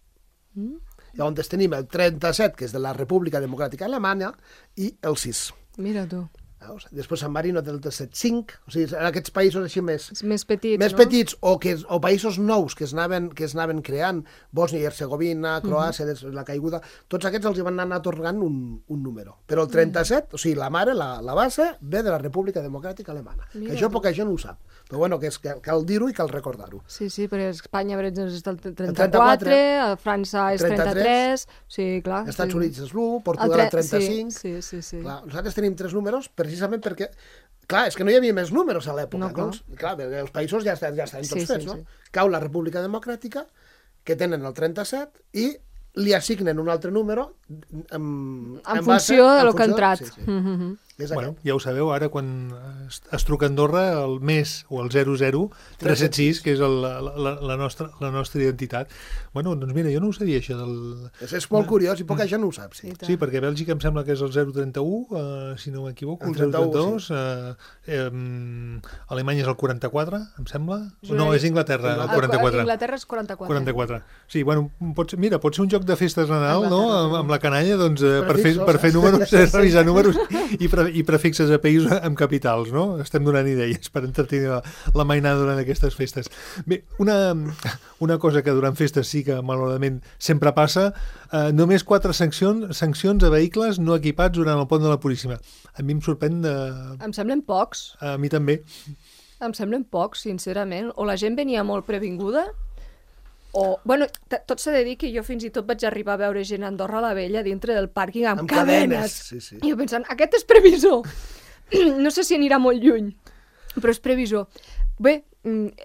Uh -huh. Llavors tenim el trenta-set, que és de la República Democràtica Alemanya, i el sis. Mira tu. Després San Marino té el set cinc, o sigui, en aquests països així més, més petits, més no? petits o, que, o països nous que es anaven, que es anaven creant, Bòsnia i Hercegovina, Croàcia, uh -huh. la caiguda, tots aquests els van anar atorgant un, un número. Però el trenta-set, uh -huh. o sigui, la mare, la, la base, ve de la República Democràtica Alemana. Mira, que això poca gent ho sap. Però bueno, que, és, que cal dir-ho i cal recordar-ho. Sí, sí, perquè Espanya, per exemple, és el trenta-quatre, a França és trenta-tres, sí, clar. Els Estats sí. Units és l'u, Portugal el trenta-cinc. Sí, sí, sí. sí. Clar, nosaltres tenim tres números precisament perquè... Clar, és que no hi havia més números a l'època. No, clar. Doncs, clar, els països ja estan, ja estan tots sí, fets, sí, no? Sí. Cau la República Democràtica, que tenen el trenta-set, i li assignen un altre número en, en, en funció base, de lo en que ha funció, entrat. sí, sí. Mm -hmm. Bueno, ja ho sabeu, ara quan es, es truca a Andorra, el mes o el zero zero tres set sis, que és el, la, la, la, nostra, la nostra identitat. Bueno, doncs mira, jo no ho sabia, això del... És, és molt curiós i poca gent no ho sap, sí. Sí, perquè a Bèlgica em sembla que és el zero trenta u, uh, si no m'equivoco, el, el zero trenta dos, sí. uh, eh, Alemanya és el quaranta-quatre, em sembla? No, és Inglaterra, el quaranta-quatre. Inglaterra és quaranta-quatre. quaranta-quatre. Sí, bueno, pot ser, mira, pot ser un joc de festes de Nadal, no?, amb, amb la canalla, doncs, eh, per, fer, per fer números, revisar números i, pre, i prefixes a països amb capitals, no? Estem donant idees per entretenir la, la mainada durant aquestes festes. Bé, una, una cosa que durant festes sí que malauradament sempre passa, eh, només quatre sancions, sancions a vehicles no equipats durant el pont de la Puríssima. A mi em sorprèn de... Em semblen pocs. A mi també. Em semblen pocs, sincerament. O la gent venia molt previnguda, o... Bueno, tot s'ha de dir que jo fins i tot vaig arribar a veure gent a Andorra la Vella dintre del pàrquing amb, amb cadenes. cadenes. Sí, sí. I jo pensant, aquest és previsor. No sé si anirà molt lluny, però és previsor. Bé,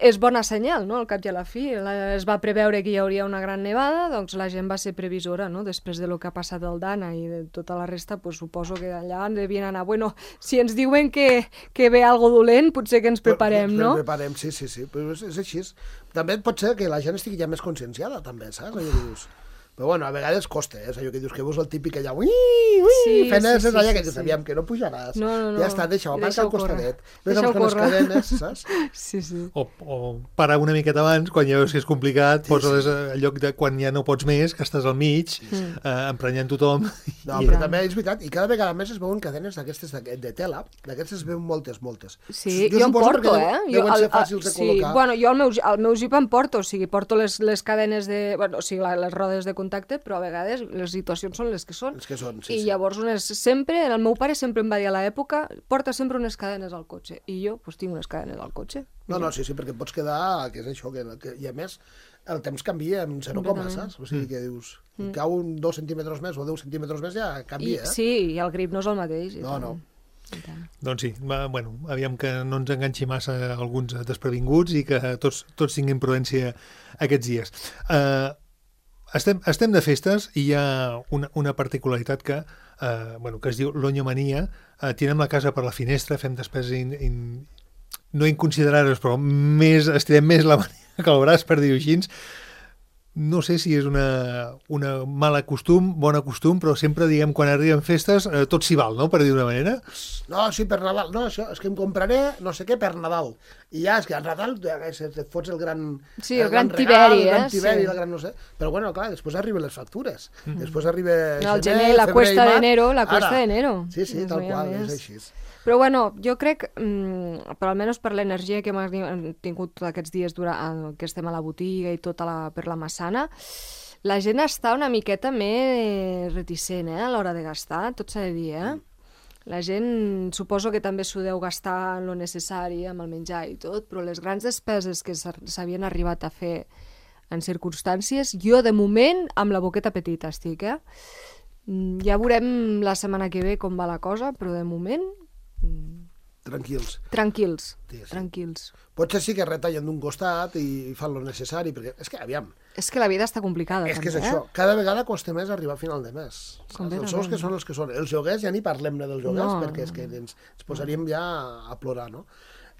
és bona senyal, no?, al cap i a la fi. Es va preveure que hi hauria una gran nevada, doncs la gent va ser previsora, no?, després de lo que ha passat al Dana i de tota la resta, pues suposo que allà devien anar, bueno, si ens diuen que, que ve algo dolent, potser que ens preparem, no? Ens preparem, sí, sí, sí, però és, és així. També pot ser que la gent estigui ja més conscienciada, també, saps? Allò que dius... Però bueno, a vegades costa, eh? És allò que dius que veus el típic allà, ui, ui, sí, fent sí, sí, allà sí, que dius, aviam, que no pujaràs. No, no, no. Ja està, deixa-ho, aparca al costadet. Deixa-ho amb les cadenes, saps? Sí, sí. O, o parar una miqueta abans, quan ja veus que és complicat, sí, poses sí. al lloc de quan ja no pots més, que estàs al mig, sí, sí. Eh, emprenyant tothom. No, i... però també és veritat, i cada vegada més es veuen cadenes d'aquestes de, de tela, d'aquestes es veuen moltes, moltes. Sí, jo, jo em porto, eh? Deuen jo, ser fàcils de sí, col·locar. Bueno, jo al meu, al meu Jeep em porto, o sigui, porto les, les cadenes de... Bueno, o sigui, les rodes de contacte, però a vegades les situacions són les que són. Les que són, sí, I sí. llavors unes, sempre, el meu pare sempre em va dir a l'època, porta sempre unes cadenes al cotxe. I jo, doncs, tinc unes cadenes al cotxe. No, no, sí, sí, perquè pots quedar, que és això, que, que i a més el temps canvia en zero coma, saps? O sigui, que dius, mm. cau un dos centímetres més o deu centímetres més, ja canvia, I, eh? Sí, i el grip no és el mateix. No, no. Doncs sí, va, bueno, aviam que no ens enganxi massa alguns desprevinguts i que tots, tots tinguin prudència aquests dies. Uh, Estem, estem de festes i hi ha una, una particularitat que, eh, bueno, que es diu l'onyomania. Eh, tirem la casa per la finestra, fem despeses in, in, no inconsiderades, però més, estirem més la mania que el braç, per dir-ho així. No sé si és una, una mala costum, bona costum, però sempre, diguem, quan arriben festes, eh, tot s'hi val, no?, per dir d'una manera. No, sí, per Nadal. No, això, és que em compraré no sé què per Nadal. I ja, és que al Nadal et fots el gran... Sí, el, el gran, gran tiberi, regal, eh? El gran tiberi, sí. el gran no sé... Però bueno, clar, després arriben les factures. Mm. Després arriba... No, el gener, la cuesta d'enero, la cuesta d'enero. Sí, sí, tal qual, és així. Però bueno, jo crec, mmm, però almenys per l'energia que hem tingut aquests dies durant, que estem a la botiga i tota la, per la Massana, la gent està una miqueta més reticent, eh, a l'hora de gastar, tot s'ha de dir, eh? La gent suposo que també s'ho deu gastar en lo necessari, amb el menjar i tot, però les grans despeses que s'havien arribat a fer en circumstàncies, jo de moment amb la boqueta petita estic, eh? Ja veurem la setmana que ve com va la cosa, però de moment... Tranquils. Tranquils, sí, sí. tranquils. Potser sí que retallen d'un costat i fan lo necessari, perquè és que, aviam... És que la vida està complicada, és també, que és eh? això. Cada vegada costa més arribar a final de mes. Els sous que són els que són. Els joguers, ja ni parlem-ne dels joguers, no, perquè és que ens, ens posaríem ja a plorar, no?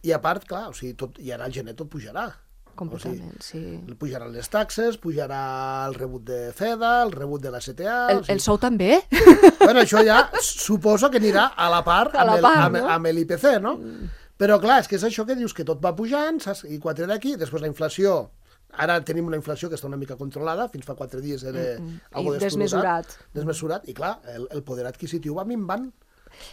I a part, clar, o sigui, tot, i ara al gener tot pujarà. Completament, o sigui, sí. Pujaran les taxes, pujarà el rebut de FEDA, el rebut de la C T A... El, o sigui... el sou també? Bueno, això ja suposo que anirà a la part a la amb, part, el, amb, no? amb l'I P C, no? Mm. Però clar, és que és això que dius, que tot va pujant, saps? I quatre d'aquí, després la inflació... Ara tenim una inflació que està una mica controlada, fins fa quatre dies era mm, mm. algo desmesurat. Desmesurat, i clar, el, el poder adquisitiu va minvant.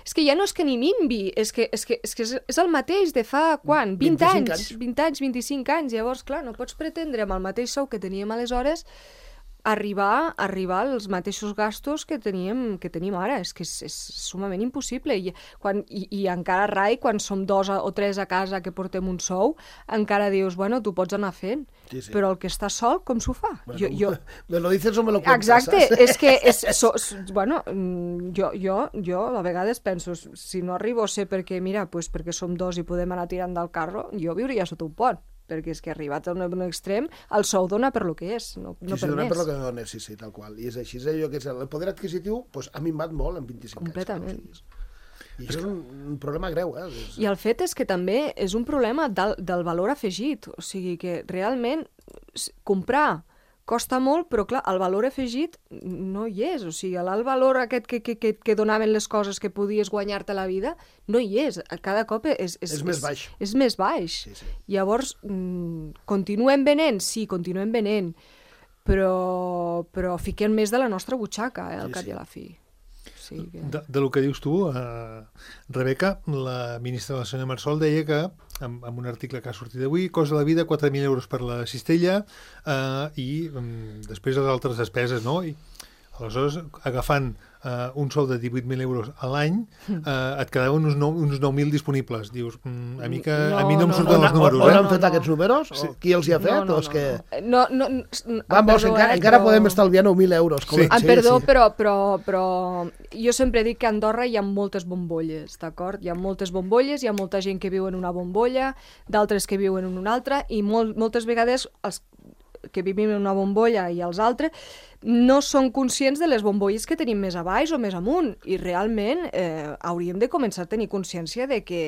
És que ja no és que ni minvi, és que és, que, és, que és el mateix de fa, quan? vint anys, anys, vint anys, vint-i-cinc anys. Llavors, clar, no pots pretendre amb el mateix sou que teníem aleshores arribar, arribar als mateixos gastos que teníem, que tenim ara. És que és, és sumament impossible. I, quan, i, I encara, rai, quan som dos o tres a casa que portem un sou, encara dius, bueno, tu pots anar fent. Sí, sí. Però el que està sol, com s'ho fa? Bueno, jo, jo... Me lo dices o me lo cuentas. Exacte, saps? és que, és, so, bueno, jo, jo, jo a vegades penso, si no arribo a ser perquè, mira, pues perquè som dos i podem anar tirant del carro, jo viuria sota un pont. perquè és que arribat a un, un extrem, el sou dona per lo que és, no, no sí, sí, per dona més. per lo que dona, sí, sí, tal qual. I és així, és allò que és el poder adquisitiu pues, ha minvat molt en vint-i-cinc Completament. anys. I això és un, un problema greu, eh? És... I el fet és que també és un problema del, del valor afegit, o sigui que realment comprar costa molt, però clar, el valor afegit no hi és, o sigui, el valor aquest que, que, que, que donaven les coses que podies guanyar-te la vida, no hi és, cada cop és... És, és més baix. És, és més baix. Sí, sí. Llavors, mmm, continuem venent? Sí, continuem venent, però, però fiquem més de la nostra butxaca, eh, al Sí, cap sí. i a la fi. Sí, que... De, de lo que dius tu, eh, Rebeca, la ministra de la senyora Marsol deia que, en, en un article que ha sortit avui, cost de la vida quatre mil euros per la cistella eh, i um, després les altres despeses, no? I aleshores, agafant eh, un sou de divuit mil euros a l'any, eh, et quedaven uns, nou, uns nou mil disponibles. Dius, mm, a, mi que, No, a mi no em no, surten no, els números, On eh? han no, fet no. aquests números? Sí. O qui els hi ha fet? No, no, o és que... no, no, no, no, Vamos, perdó, encara, eh, encara però- podem estalviar nou mil euros. Com... Sí. Em perdó, Però, però, però jo sempre dic que a Andorra hi ha moltes bombolles, d'acord? Hi ha moltes bombolles, hi ha molta gent que viu en una bombolla, d'altres que viuen en una altra, i molt, moltes vegades els que vivim en una bombolla i els altres no són conscients de les bombolles que tenim més a baix o més amunt, i realment eh, hauríem de començar a tenir consciència de que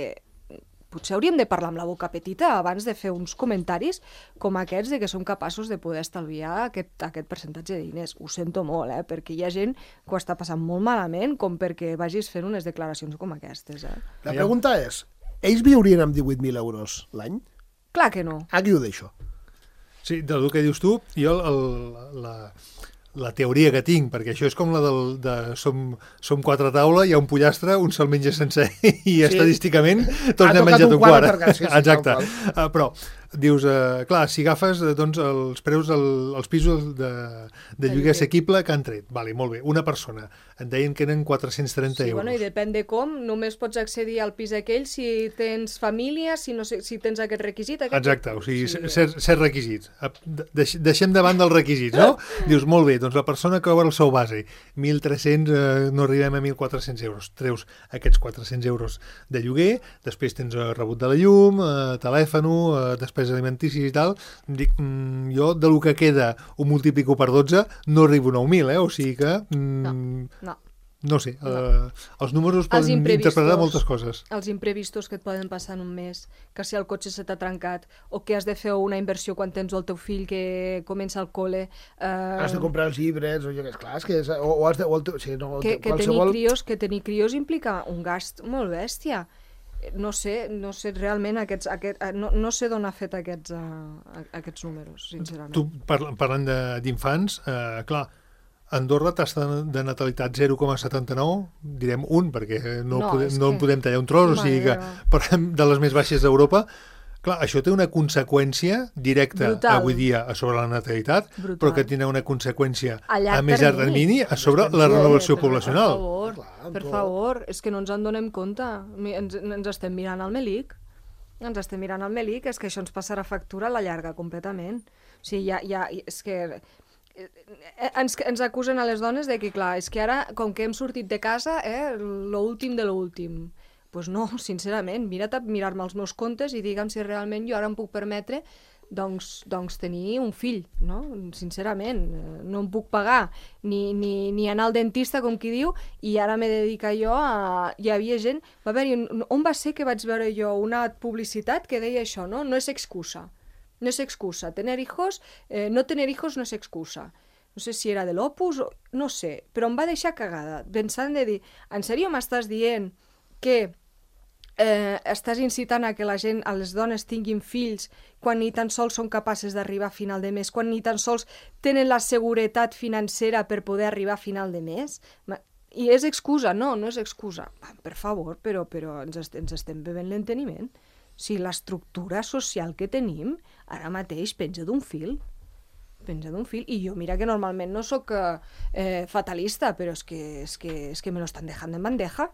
potser hauríem de parlar amb la boca petita abans de fer uns comentaris com aquests de que som capaços de poder estalviar aquest, aquest percentatge de diners. Ho sento molt, eh? Perquè hi ha gent que ho està passant molt malament com perquè vagis fent unes declaracions com aquestes. Eh? La pregunta és, ells viurien amb divuit mil euros l'any? Clar que no. Aquí ho deixo. Sí, del que dius tu, jo el, la, la teoria que tinc, perquè això és com la del, de som, som quatre a taula, hi ha un pollastre, un se'l menja sencer i sí. Estadísticament tots Ha n'hem tocat menjat un un quart quart. perquè sí, sí, Exacte. tal Uh, però dius, uh, clar, si agafes uh, doncs, els preus, el, els pisos de, de lloguer assequible que han tret, vale, molt bé, una persona, en deien que eren quatre-cents trenta Sí, euros. bueno, i depèn de com, només pots accedir al pis aquell si tens família, si, no sé, si tens aquest requisit. Aquest... Exacte, o sigui, Sí. ser, ser requisits. Deix, deixem davant dels requisits, no? Dius, molt bé, doncs la persona que obre el sou base, mil tres-cents, eh, no arribem a mil quatre-cents euros. Treus aquests quatre-cents euros de lloguer, després tens eh, rebut de la llum, eh, telèfon, eh, despeses alimenticis i tal. Dic, mm, jo, de lo que queda, ho multiplico per dotze, no arribo a nou mil, eh? O sigui que... Mm, No, no. No sé, no. Eh, els números poden interpretar moltes coses. Els imprevistos que et poden passar en un mes, que si el cotxe se t'ha trencat, o que has de fer una inversió quan tens el teu fill que comença al col·le. Eh... Has de comprar els llibres, o jo què és clar, és que és, o, o has de... O el teu, sí, no, que, que, qualsevol... tenir crios, que tenir crios implica un gast molt bèstia. No sé, no sé realment aquests, aquest, no, no sé d'on ha fet aquests, uh, aquests números, sincerament. Tu, parlant, parlant d'infants, eh, clar, Andorra, tasta de natalitat zero coma setanta-nou, direm un, perquè no, No, podem, és no que- en podem tallar un tros, o sigui que Mare parlem de les més baixes d'Europa. Clar, això té una conseqüència directa Brutal. avui dia a sobre la natalitat, Brutal. però que tindrà una conseqüència A llarg a més llarg termini. termini a sobre la renovació Per poblacional. favor, Clar, per tu- favor, és que no ens en donem compte. Mi- Ens, ens estem mirant al melic. Ens estem mirant al melic, és que això ens passarà factura a la llarga completament. O sigui, ja, ja, és que eh, ens, ens acusen a les dones de que, clar, és que ara, com que hem sortit de casa, eh, l'últim de l'últim. Doncs pues no, sincerament, mira't a mirar-me els meus comptes i digue'm si realment jo ara em puc permetre doncs, doncs tenir un fill, no? Sincerament, eh, no em puc pagar ni, ni, ni anar al dentista, com qui diu, i ara m'he de dedicar jo a... Hi havia gent... Va haver-hi... On va ser que vaig veure jo una publicitat que deia això, no? No és excusa. No és excusa. Tener hijos, eh, no tener hijos no és excusa. No sé si era de l'Opus, o... no sé, però em va deixar cagada, pensant de dir, en sèrio m'estàs dient que eh, estàs incitant a que la gent, a les dones tinguin fills quan ni tan sols són capaces d'arribar a final de mes, quan ni tan sols tenen la seguretat financera per poder arribar a final de mes? I és excusa? No, no és excusa. Per favor, però, però ens, est ens estem bevent l'enteniment. O sigui, l'estructura social que tenim ara mateix penja d'un fil. Penja d'un fil. I jo, mira que normalment no sóc eh, fatalista, però és que, és que, és que me lo estan dejando en bandeja.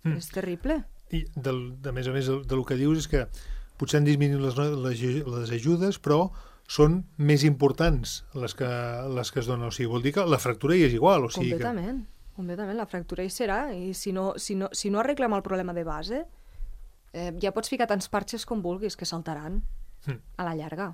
Mm. És terrible. I, del, de més a més, del, del que dius és que potser han disminuït les, les, les ajudes, però són més importants les que, les que es donen. O sigui, vol dir que la fractura hi és igual. O sigui completament, que... completament. La fractura hi serà. I si no, si no, si no arreglem el problema de base, eh, ja pots ficar tants parxes com vulguis, que saltaran. a la llarga.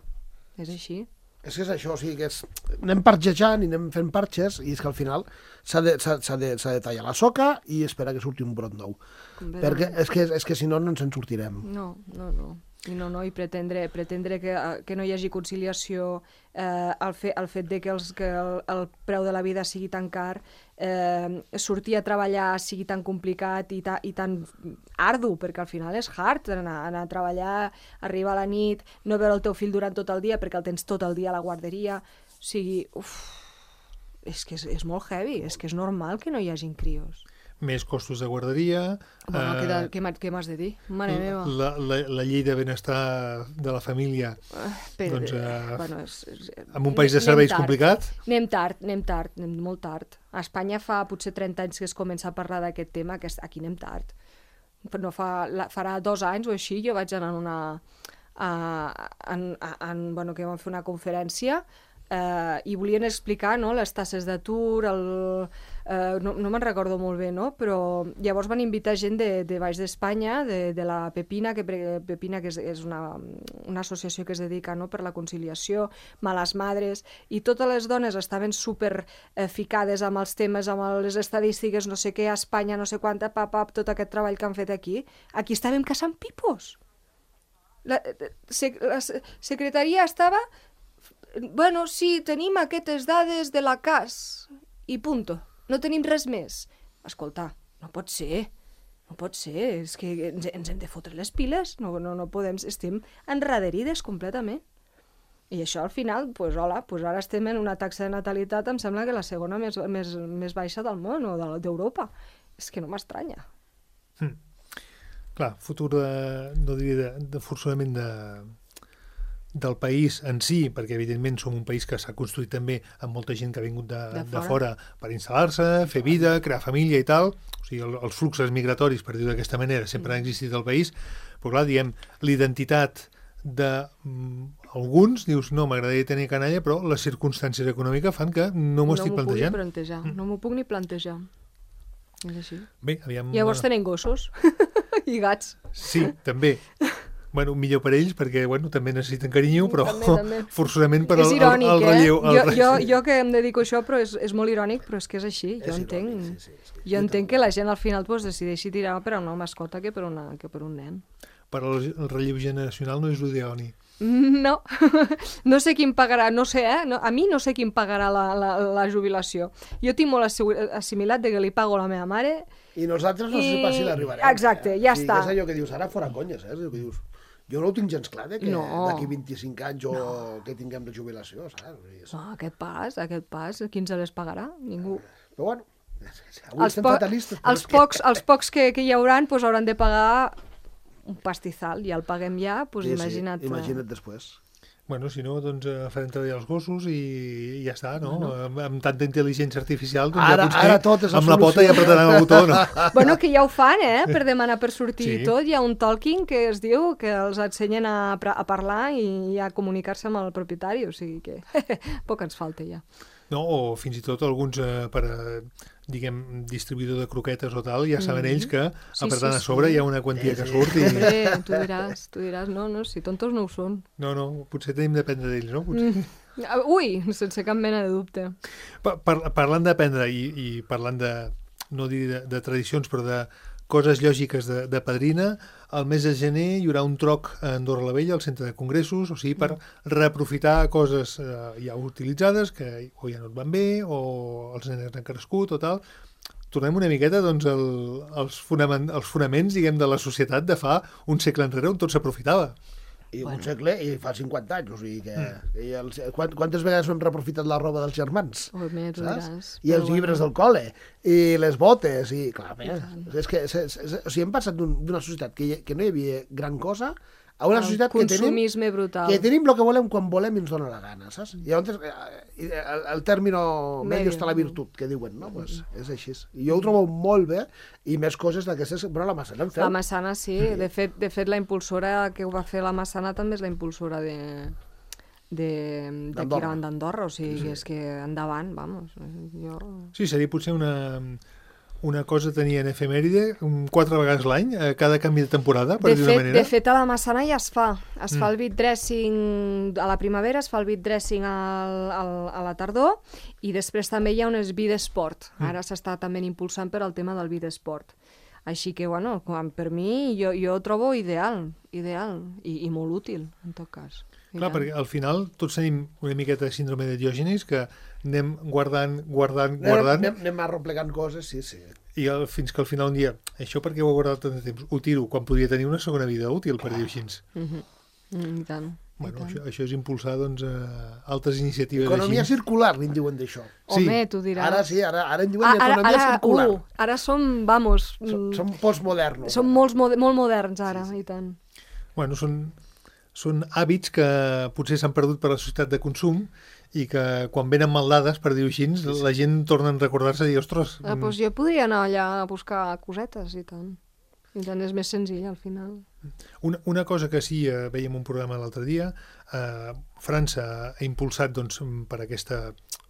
És així. És que és això, o sigui, que és... anem parxejant i anem fent parxes i és que al final s'ha de, s'ha, s'ha de, s'ha de tallar la soca i esperar que surti un brot nou. Perquè és que, és que si no, no ens en sortirem. No, no, no. I no, no, i pretendre, pretendre que, que no hi hagi conciliació, eh, el, fe, el fet de que, els, que el, el preu de la vida sigui tan car, eh, sortir a treballar sigui tan complicat i, ta, i tan ardu, perquè al final és hard anar, anar a treballar, arribar a la nit, no veure el teu fill durant tot el dia perquè el tens tot el dia a la guarderia. O sigui, uf, és que és, és molt heavy, és que és normal que no hi hagin crios. Més costos de guarderia... Bueno, eh, què, què, m'ha- què m'has de dir? Mare meva. La, la, la llei de benestar de la família, Uh, però, doncs, eh, bueno, és, és, en un país de anem serveis tard. complicat... Anem tard, anem tard, anem molt tard. A Espanya fa potser trenta anys que es comença a parlar d'aquest tema, que aquí anem tard. No fa, la, farà dos anys o així, jo vaig anar a una... A, en, a, en, bueno, que vam fer una conferència eh, i volien explicar, no, les tasses d'atur, el, eh, no, no me'n recordo molt bé, no? Però llavors van invitar gent de, de baix d'Espanya, de, de la Pepina, que Pepina que és, és una, una associació que es dedica, no, per la conciliació, Males Madres, i totes les dones estaven super eh, ficades amb els temes, amb les estadístiques, no sé què, a Espanya, no sé quanta, pap, pap, tot aquest treball que han fet aquí. Aquí estàvem caçant pipos. La, la secretaria estava... Bueno, sí, tenim aquestes dades de la C A S i punto. No tenim res més. Escolta, no pot ser. No pot ser. És que ens, ens hem de fotre les piles. No, no, no podem... Estem enraderides completament. I això, al final, pues, hola, pues ara estem en una taxa de natalitat, em sembla que la segona més, més, més baixa del món o d'Europa. És que no m'estranya. Hm. Clar, futur de, no diria de, de forçament de, del país en si, perquè evidentment som un país que s'ha construït també amb molta gent que ha vingut de, De de, fora. fora per instal·lar-se, fer vida, crear família i tal. O sigui, el, els fluxos migratoris, per dir-ho d'aquesta manera, sempre han existit al país. Però clar, diem, l'identitat d'alguns, dius, no, m'agradaria tenir canalla, però les circumstàncies econòmiques fan que no m'ho estic No m'ho pugui plantejant. plantejar. No m'ho puc ni plantejar. És així. Bé, aviam... Llavors tenim gossos i gats. Sí, també. Bueno, millor per ells, perquè bueno, també necessiten carinyo, però També, també. forçosament per És al, irònic, al, al relleu. eh? Al Jo, relleu. jo, jo que em dedico a això, però és, és molt irònic, però és que és així. Jo És entenc, irònic, sí, sí, sí. jo entenc que la gent al final pues, decideixi tirar per a una mascota que per, una, que per un nen. Per al el relleu generacional no és l'ideoni. No, no sé qui em pagarà, no sé, eh? No, a mi no sé qui em pagarà la, la, la jubilació. Jo tinc molt assi- assimilat de que li pago a la meva mare. I nosaltres no sé I- pas si l'arribarem. Exacte, ja sí, està. És allò que dius, ara fora conyes, eh? És allò que dius. Jo no ho tinc gens clar, de que No. d'aquí vint-i-cinc anys o que tinguem la jubilació, saps? És... No, aquest pas, aquest pas, qui ens les pagarà? Ningú. Però bueno, avui Els, estem po fatalistes. però els, és que- pocs, els pocs que, que hi hauran pues, hauran de pagar un pastizal, ja el paguem ja, pues, Sí, sí, imagina't. eh, imagina't després. Bueno, si no, doncs eh, farem treballar els gossos i, i ja està, no? no. Amb, amb tanta intel·ligència artificial, doncs Ara- ja potser ara tot és la amb la pota solució. ja apretaran el botó, no? Bueno, que ja ho fan, eh? Per demanar per sortir Sí. i tot. Hi ha un talking que es diu que els ensenyen a, pra- a parlar i a comunicar-se amb el propietari, o sigui que poc ens falta ja. No, o fins i tot alguns eh, per, eh, diguem, distribuïdor de croquetes o tal, ja saben ells que Sí, apretant sí, a sobre sí. hi ha una quantia que surt i... Hombre, tu diràs, tu diràs, no, no, si tontos no ho són. No, no, potser tenim d'aprendre d'ells, no? Potser... Ah, Ui, sense cap mena de dubte. Pa par parlant d'aprendre i, i parlant de, no dir de, de tradicions, però de coses lògiques de, de padrina, al mes de gener hi haurà un troc a Andorra la Vella, al centre de congressos, o sigui, per reaprofitar coses eh, ja utilitzades, que o ja no et van bé, o els nens han crescut, o tal. Tornem una miqueta doncs, el, els, fonament, els fonaments, diguem, de la societat de fa un segle enrere on tot s'aprofitava. I bueno. un segle i fa cinquanta anys, o sigui que... Mm. I els, quant, quantes vegades hem reaprofitat la roba dels germans? Home, tu saps? diràs. I els Però llibres bueno. del col·le, i les botes, i clar, bé, és que és, és, és, o sigui, hem passat d'un- d'una societat que, hi- que no hi havia gran cosa a una El societat que tenim, consumisme brutal. que tenim el que volem quan volem i ens dona la gana, saps? I llavors, eh, el, el término medio està la virtut, que diuen, no? Pues és així. I jo ho trobo molt bé, i més coses d'aquestes... Bueno, la Massana en feu. La Massana, sí. De fet, de fet, la impulsora que ho va fer la Massana també és la impulsora de d'aquí d'Andorra. d'Andorra, o sigui, sí. És que endavant, vamos. Jo... Sí, seria potser una, una cosa tenien efemèride quatre vegades l'any, a cada canvi de temporada, per de dir fet, una manera. De fet, a la Massana ja es fa. Es Mm. fa el beat dressing a la primavera, es fa el beat dressing al, al, a la tardor, i després també hi ha un beat sport. Mm. Ara s'està també impulsant per al tema del beat sport. Així que, bueno, quan, per mi, jo, jo ho trobo ideal, ideal, i, i molt útil, en tot cas. I Clar, tant. perquè al final tots tenim una miqueta de síndrome de Diògenes, que anem guardant, guardant, guardant, Anem, anem arroplegant coses, sí, sí. i el, fins que al final un dia, això perquè ho he guardat tant de temps, ho tiro, quan podria tenir una segona vida útil, per dir-ho així. Mhm. Mm, I tant. Bueno, I tant. això, això és impulsar doncs, eh, altres iniciatives Economia així. circular, li en diuen d'això. Sí. Home, tu diràs. Ara sí, ara, ara en diuen Ah, ara, economia ara, circular. uh, ara som, vamos, Som, mm, som postmodernos. som molts, mode- molt moderns ara, i tant. Bueno, són, són hàbits que potser s'han perdut per la societat de consum i que quan venen mal dades, per dir-ho així, la gent torna a recordar-se i dir, ostres... Ah, doncs jo podria anar allà a buscar cosetes, i tant. I tant, és més senzill, al final. Una, una cosa que sí, eh, veiem un programa l'altre dia, eh, França ha impulsat doncs, per aquesta,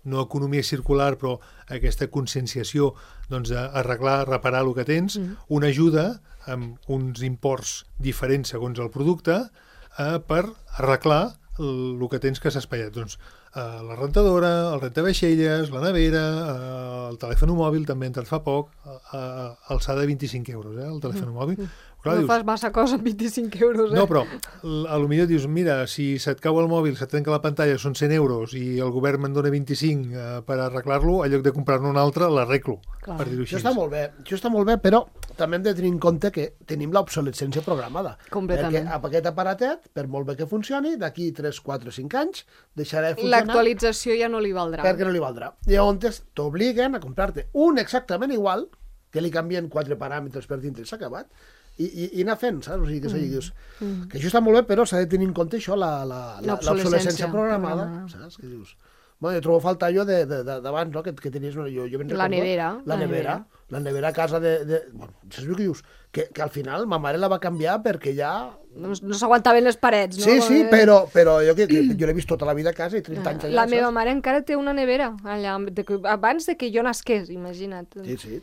no economia circular, però aquesta conscienciació doncs, d'arreglar, reparar el que tens, Mm. una ajuda amb uns imports diferents segons el producte eh, per arreglar el, el que tens que s'ha espatllat. Doncs, eh, la rentadora, el rentavaixelles, la nevera, eh, el telèfon mòbil, també entrat fa poc, eh, alçada de vint-i-cinc euros, eh, el telèfon mòbil. Clar, No dius, fas massa cosa amb vint-i-cinc euros, eh? no, però l- a lo millor dius, mira, si se't cau el mòbil, se't trenca la pantalla, són cent euros i el govern me'n dona vint-i-cinc eh, per arreglar-lo, en lloc de comprar-ne un altre, l'arreglo, Clar. per dir-ho així. Això està molt bé, això està molt bé, però també hem de tenir en compte que tenim l'obsolescència programada. Completament. Perquè aquest aparatet, per molt bé que funcioni, d'aquí tres, quatre, cinc anys, deixarà de funcionar L'actualització ja no li valdrà. perquè no li valdrà. Llavors t'obliguen a comprar-te un exactament igual, que li canvien quatre paràmetres per dintre i s'ha acabat, i, i, i anar fent, saps? O sigui, que, mm. dius, mm. que això està molt bé, però s'ha de tenir en compte això, la, la, la, l'obsolescència programada, programada. saps? Que dius... Bueno, jo trobo a faltar allò de, de, de, d'abans, no? Que, que tenies... No? Jo, jo ben La recordo, nevera, La la nevera. nevera. La nevera a casa de... de bueno, saps el que dius? Que, que al final ma mare la va canviar perquè ja... No, no s'aguantaven les parets, no? Sí, sí, Eh, però, però jo, que, que, jo l'he vist tota la vida a casa i trenta anys allà, La meva saps? mare encara té una nevera allà, de, que- abans de que jo nasqués, imagina't. Sí, sí.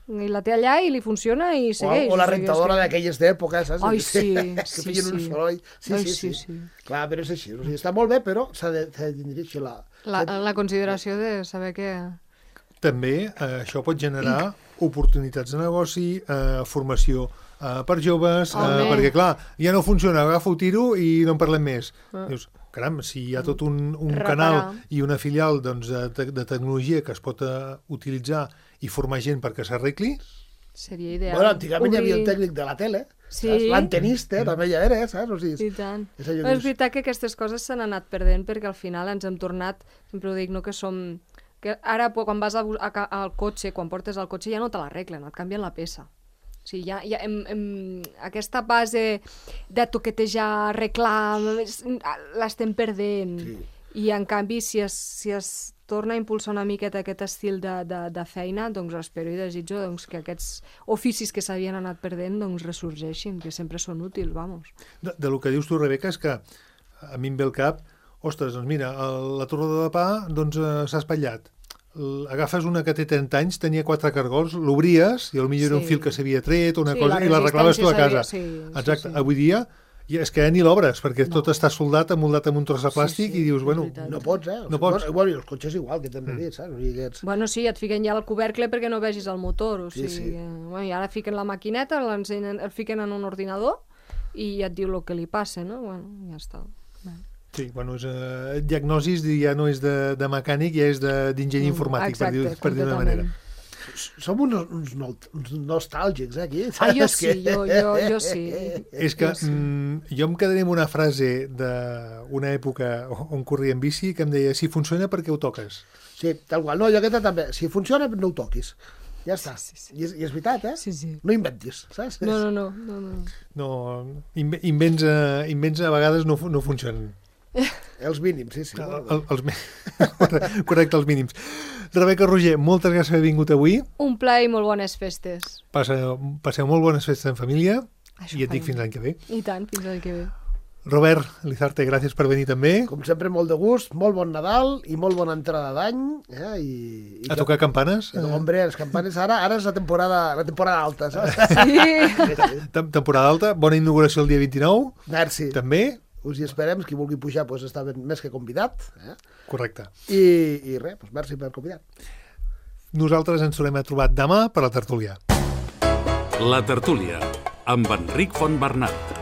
I la té allà i li funciona i O, segueix. o la o sigui, és rentadora que- d'aquelles d'època, saps? Ai, sí, que sí, feien un sí. soroll. Sí, Ai, sí, sí, sí, sí. Clar, però és així. O sigui, està molt bé, però s'ha de, s'ha de tenir així la... La, la consideració de saber que... També eh, això pot generar oportunitats de negoci, eh, formació eh, per joves, eh, Home. perquè clar, ja no funciona, agafo, tiro i no en parlem més. Dius, caram, si hi ha tot un, un Reparar. canal i una filial doncs, de, te- de tecnologia que es pot eh, utilitzar i formar gent perquè s'arregli, Seria ideal. Bueno, antigament hi havia el Obrir- tècnic de la tele, Sí. saps? L'antenista, també ja era, saps? O sigui, I tant. és allò Però que és veritat que aquestes coses s'han anat perdent perquè al final ens hem tornat, sempre ho dic, no, que som... Que ara, po- quan vas a, bu- a, ca- al cotxe, quan portes el cotxe, ja no te l'arreglen, et canvien la peça. O sigui, ja, ja hem, hem, aquesta base de toquetejar, arreglar, l'estem perdent. Sí. I, en canvi, si es, si es torna a impulsar una miqueta aquest estil de, de, de feina, doncs espero i desitjo doncs, que aquests oficis que s'havien anat perdent doncs, ressorgeixin, que sempre són útils, vamos. de, de lo que dius tu, Rebeca, és que a mi em ve el cap, ostres, doncs mira, el, la torrada de pa doncs, eh, s'ha espatllat. L- Agafes una que té trenta anys, tenia quatre cargols, l'obries i potser era un Sí. fil que s'havia tret o una Sí, cosa la i l'arreglaves tu a resistència casa. s'havia- sí, sí, Exacte. sí. Avui dia i és que ja ni l'obres, perquè no. tot està soldat, emoldat amb un tros de plàstic Sí, sí, i dius, és bueno, veritat. no pots, eh? O No sigui, pots. Bueno, bueno, i els cotxes igual, que t'hem de dir, saps? O sigui, que ets... Bueno, sí, et fiquen ja el couvercle perquè no vegis el motor, o Sí, sigui, sí. que, bueno, i ara fiquen la maquineta, l'ensenyen, el fiquen en un ordinador i ja et diu el que li passa, no? Bueno, ja està. Bueno. sí, bueno, és, eh, diagnosis ja no és de, de mecànic, ja és de- d'enginyer informàtic, per dir- per dir-ho d'una manera. Som uns, uns, no, uns nostàlgics, eh, aquí. Ah, jo saps? sí, jo, jo, jo sí. És que Jo sí. mm, jo em quedaré amb una frase d'una època on corria en bici que em deia, si funciona, per què ho toques? Sí, tal qual. No, jo aquesta també. Si funciona, no ho toquis. Ja està. Sí, sí, sí. I, és, I és veritat, eh? Sí, sí. No inventis, saps? No, no, no. no, no. No, inve- invents, a, invents a vegades no, fu- no funcionen. Els mínims, sí, sí. El, el, els, mi- correcte, els mínims. Rebeca Roger, moltes gràcies per haver vingut avui. Un plaer i molt bones festes. Passeu, passeu molt bones festes en família Això i et dic farem. fins l'any que ve. I tant, fins l'any que ve. Robert Lizarte, gràcies per venir també. Com sempre, molt de gust, molt bon Nadal i molt bona entrada d'any. Eh? I, i a tocar campanes? Eh, hombre, les campanes ara, ara és la temporada, la temporada alta, saps? Sí. Temporada alta, bona inauguració el dia vint-i-nou. Merci. També. Us hi esperem, qui vulgui pujar pues, està ben, més que convidat. Eh? Correcte. I, i res, pues, merci per convidar. Nosaltres ens tornem a trobar demà per la tertúlia. La tertúlia, amb Enric Fontbernat.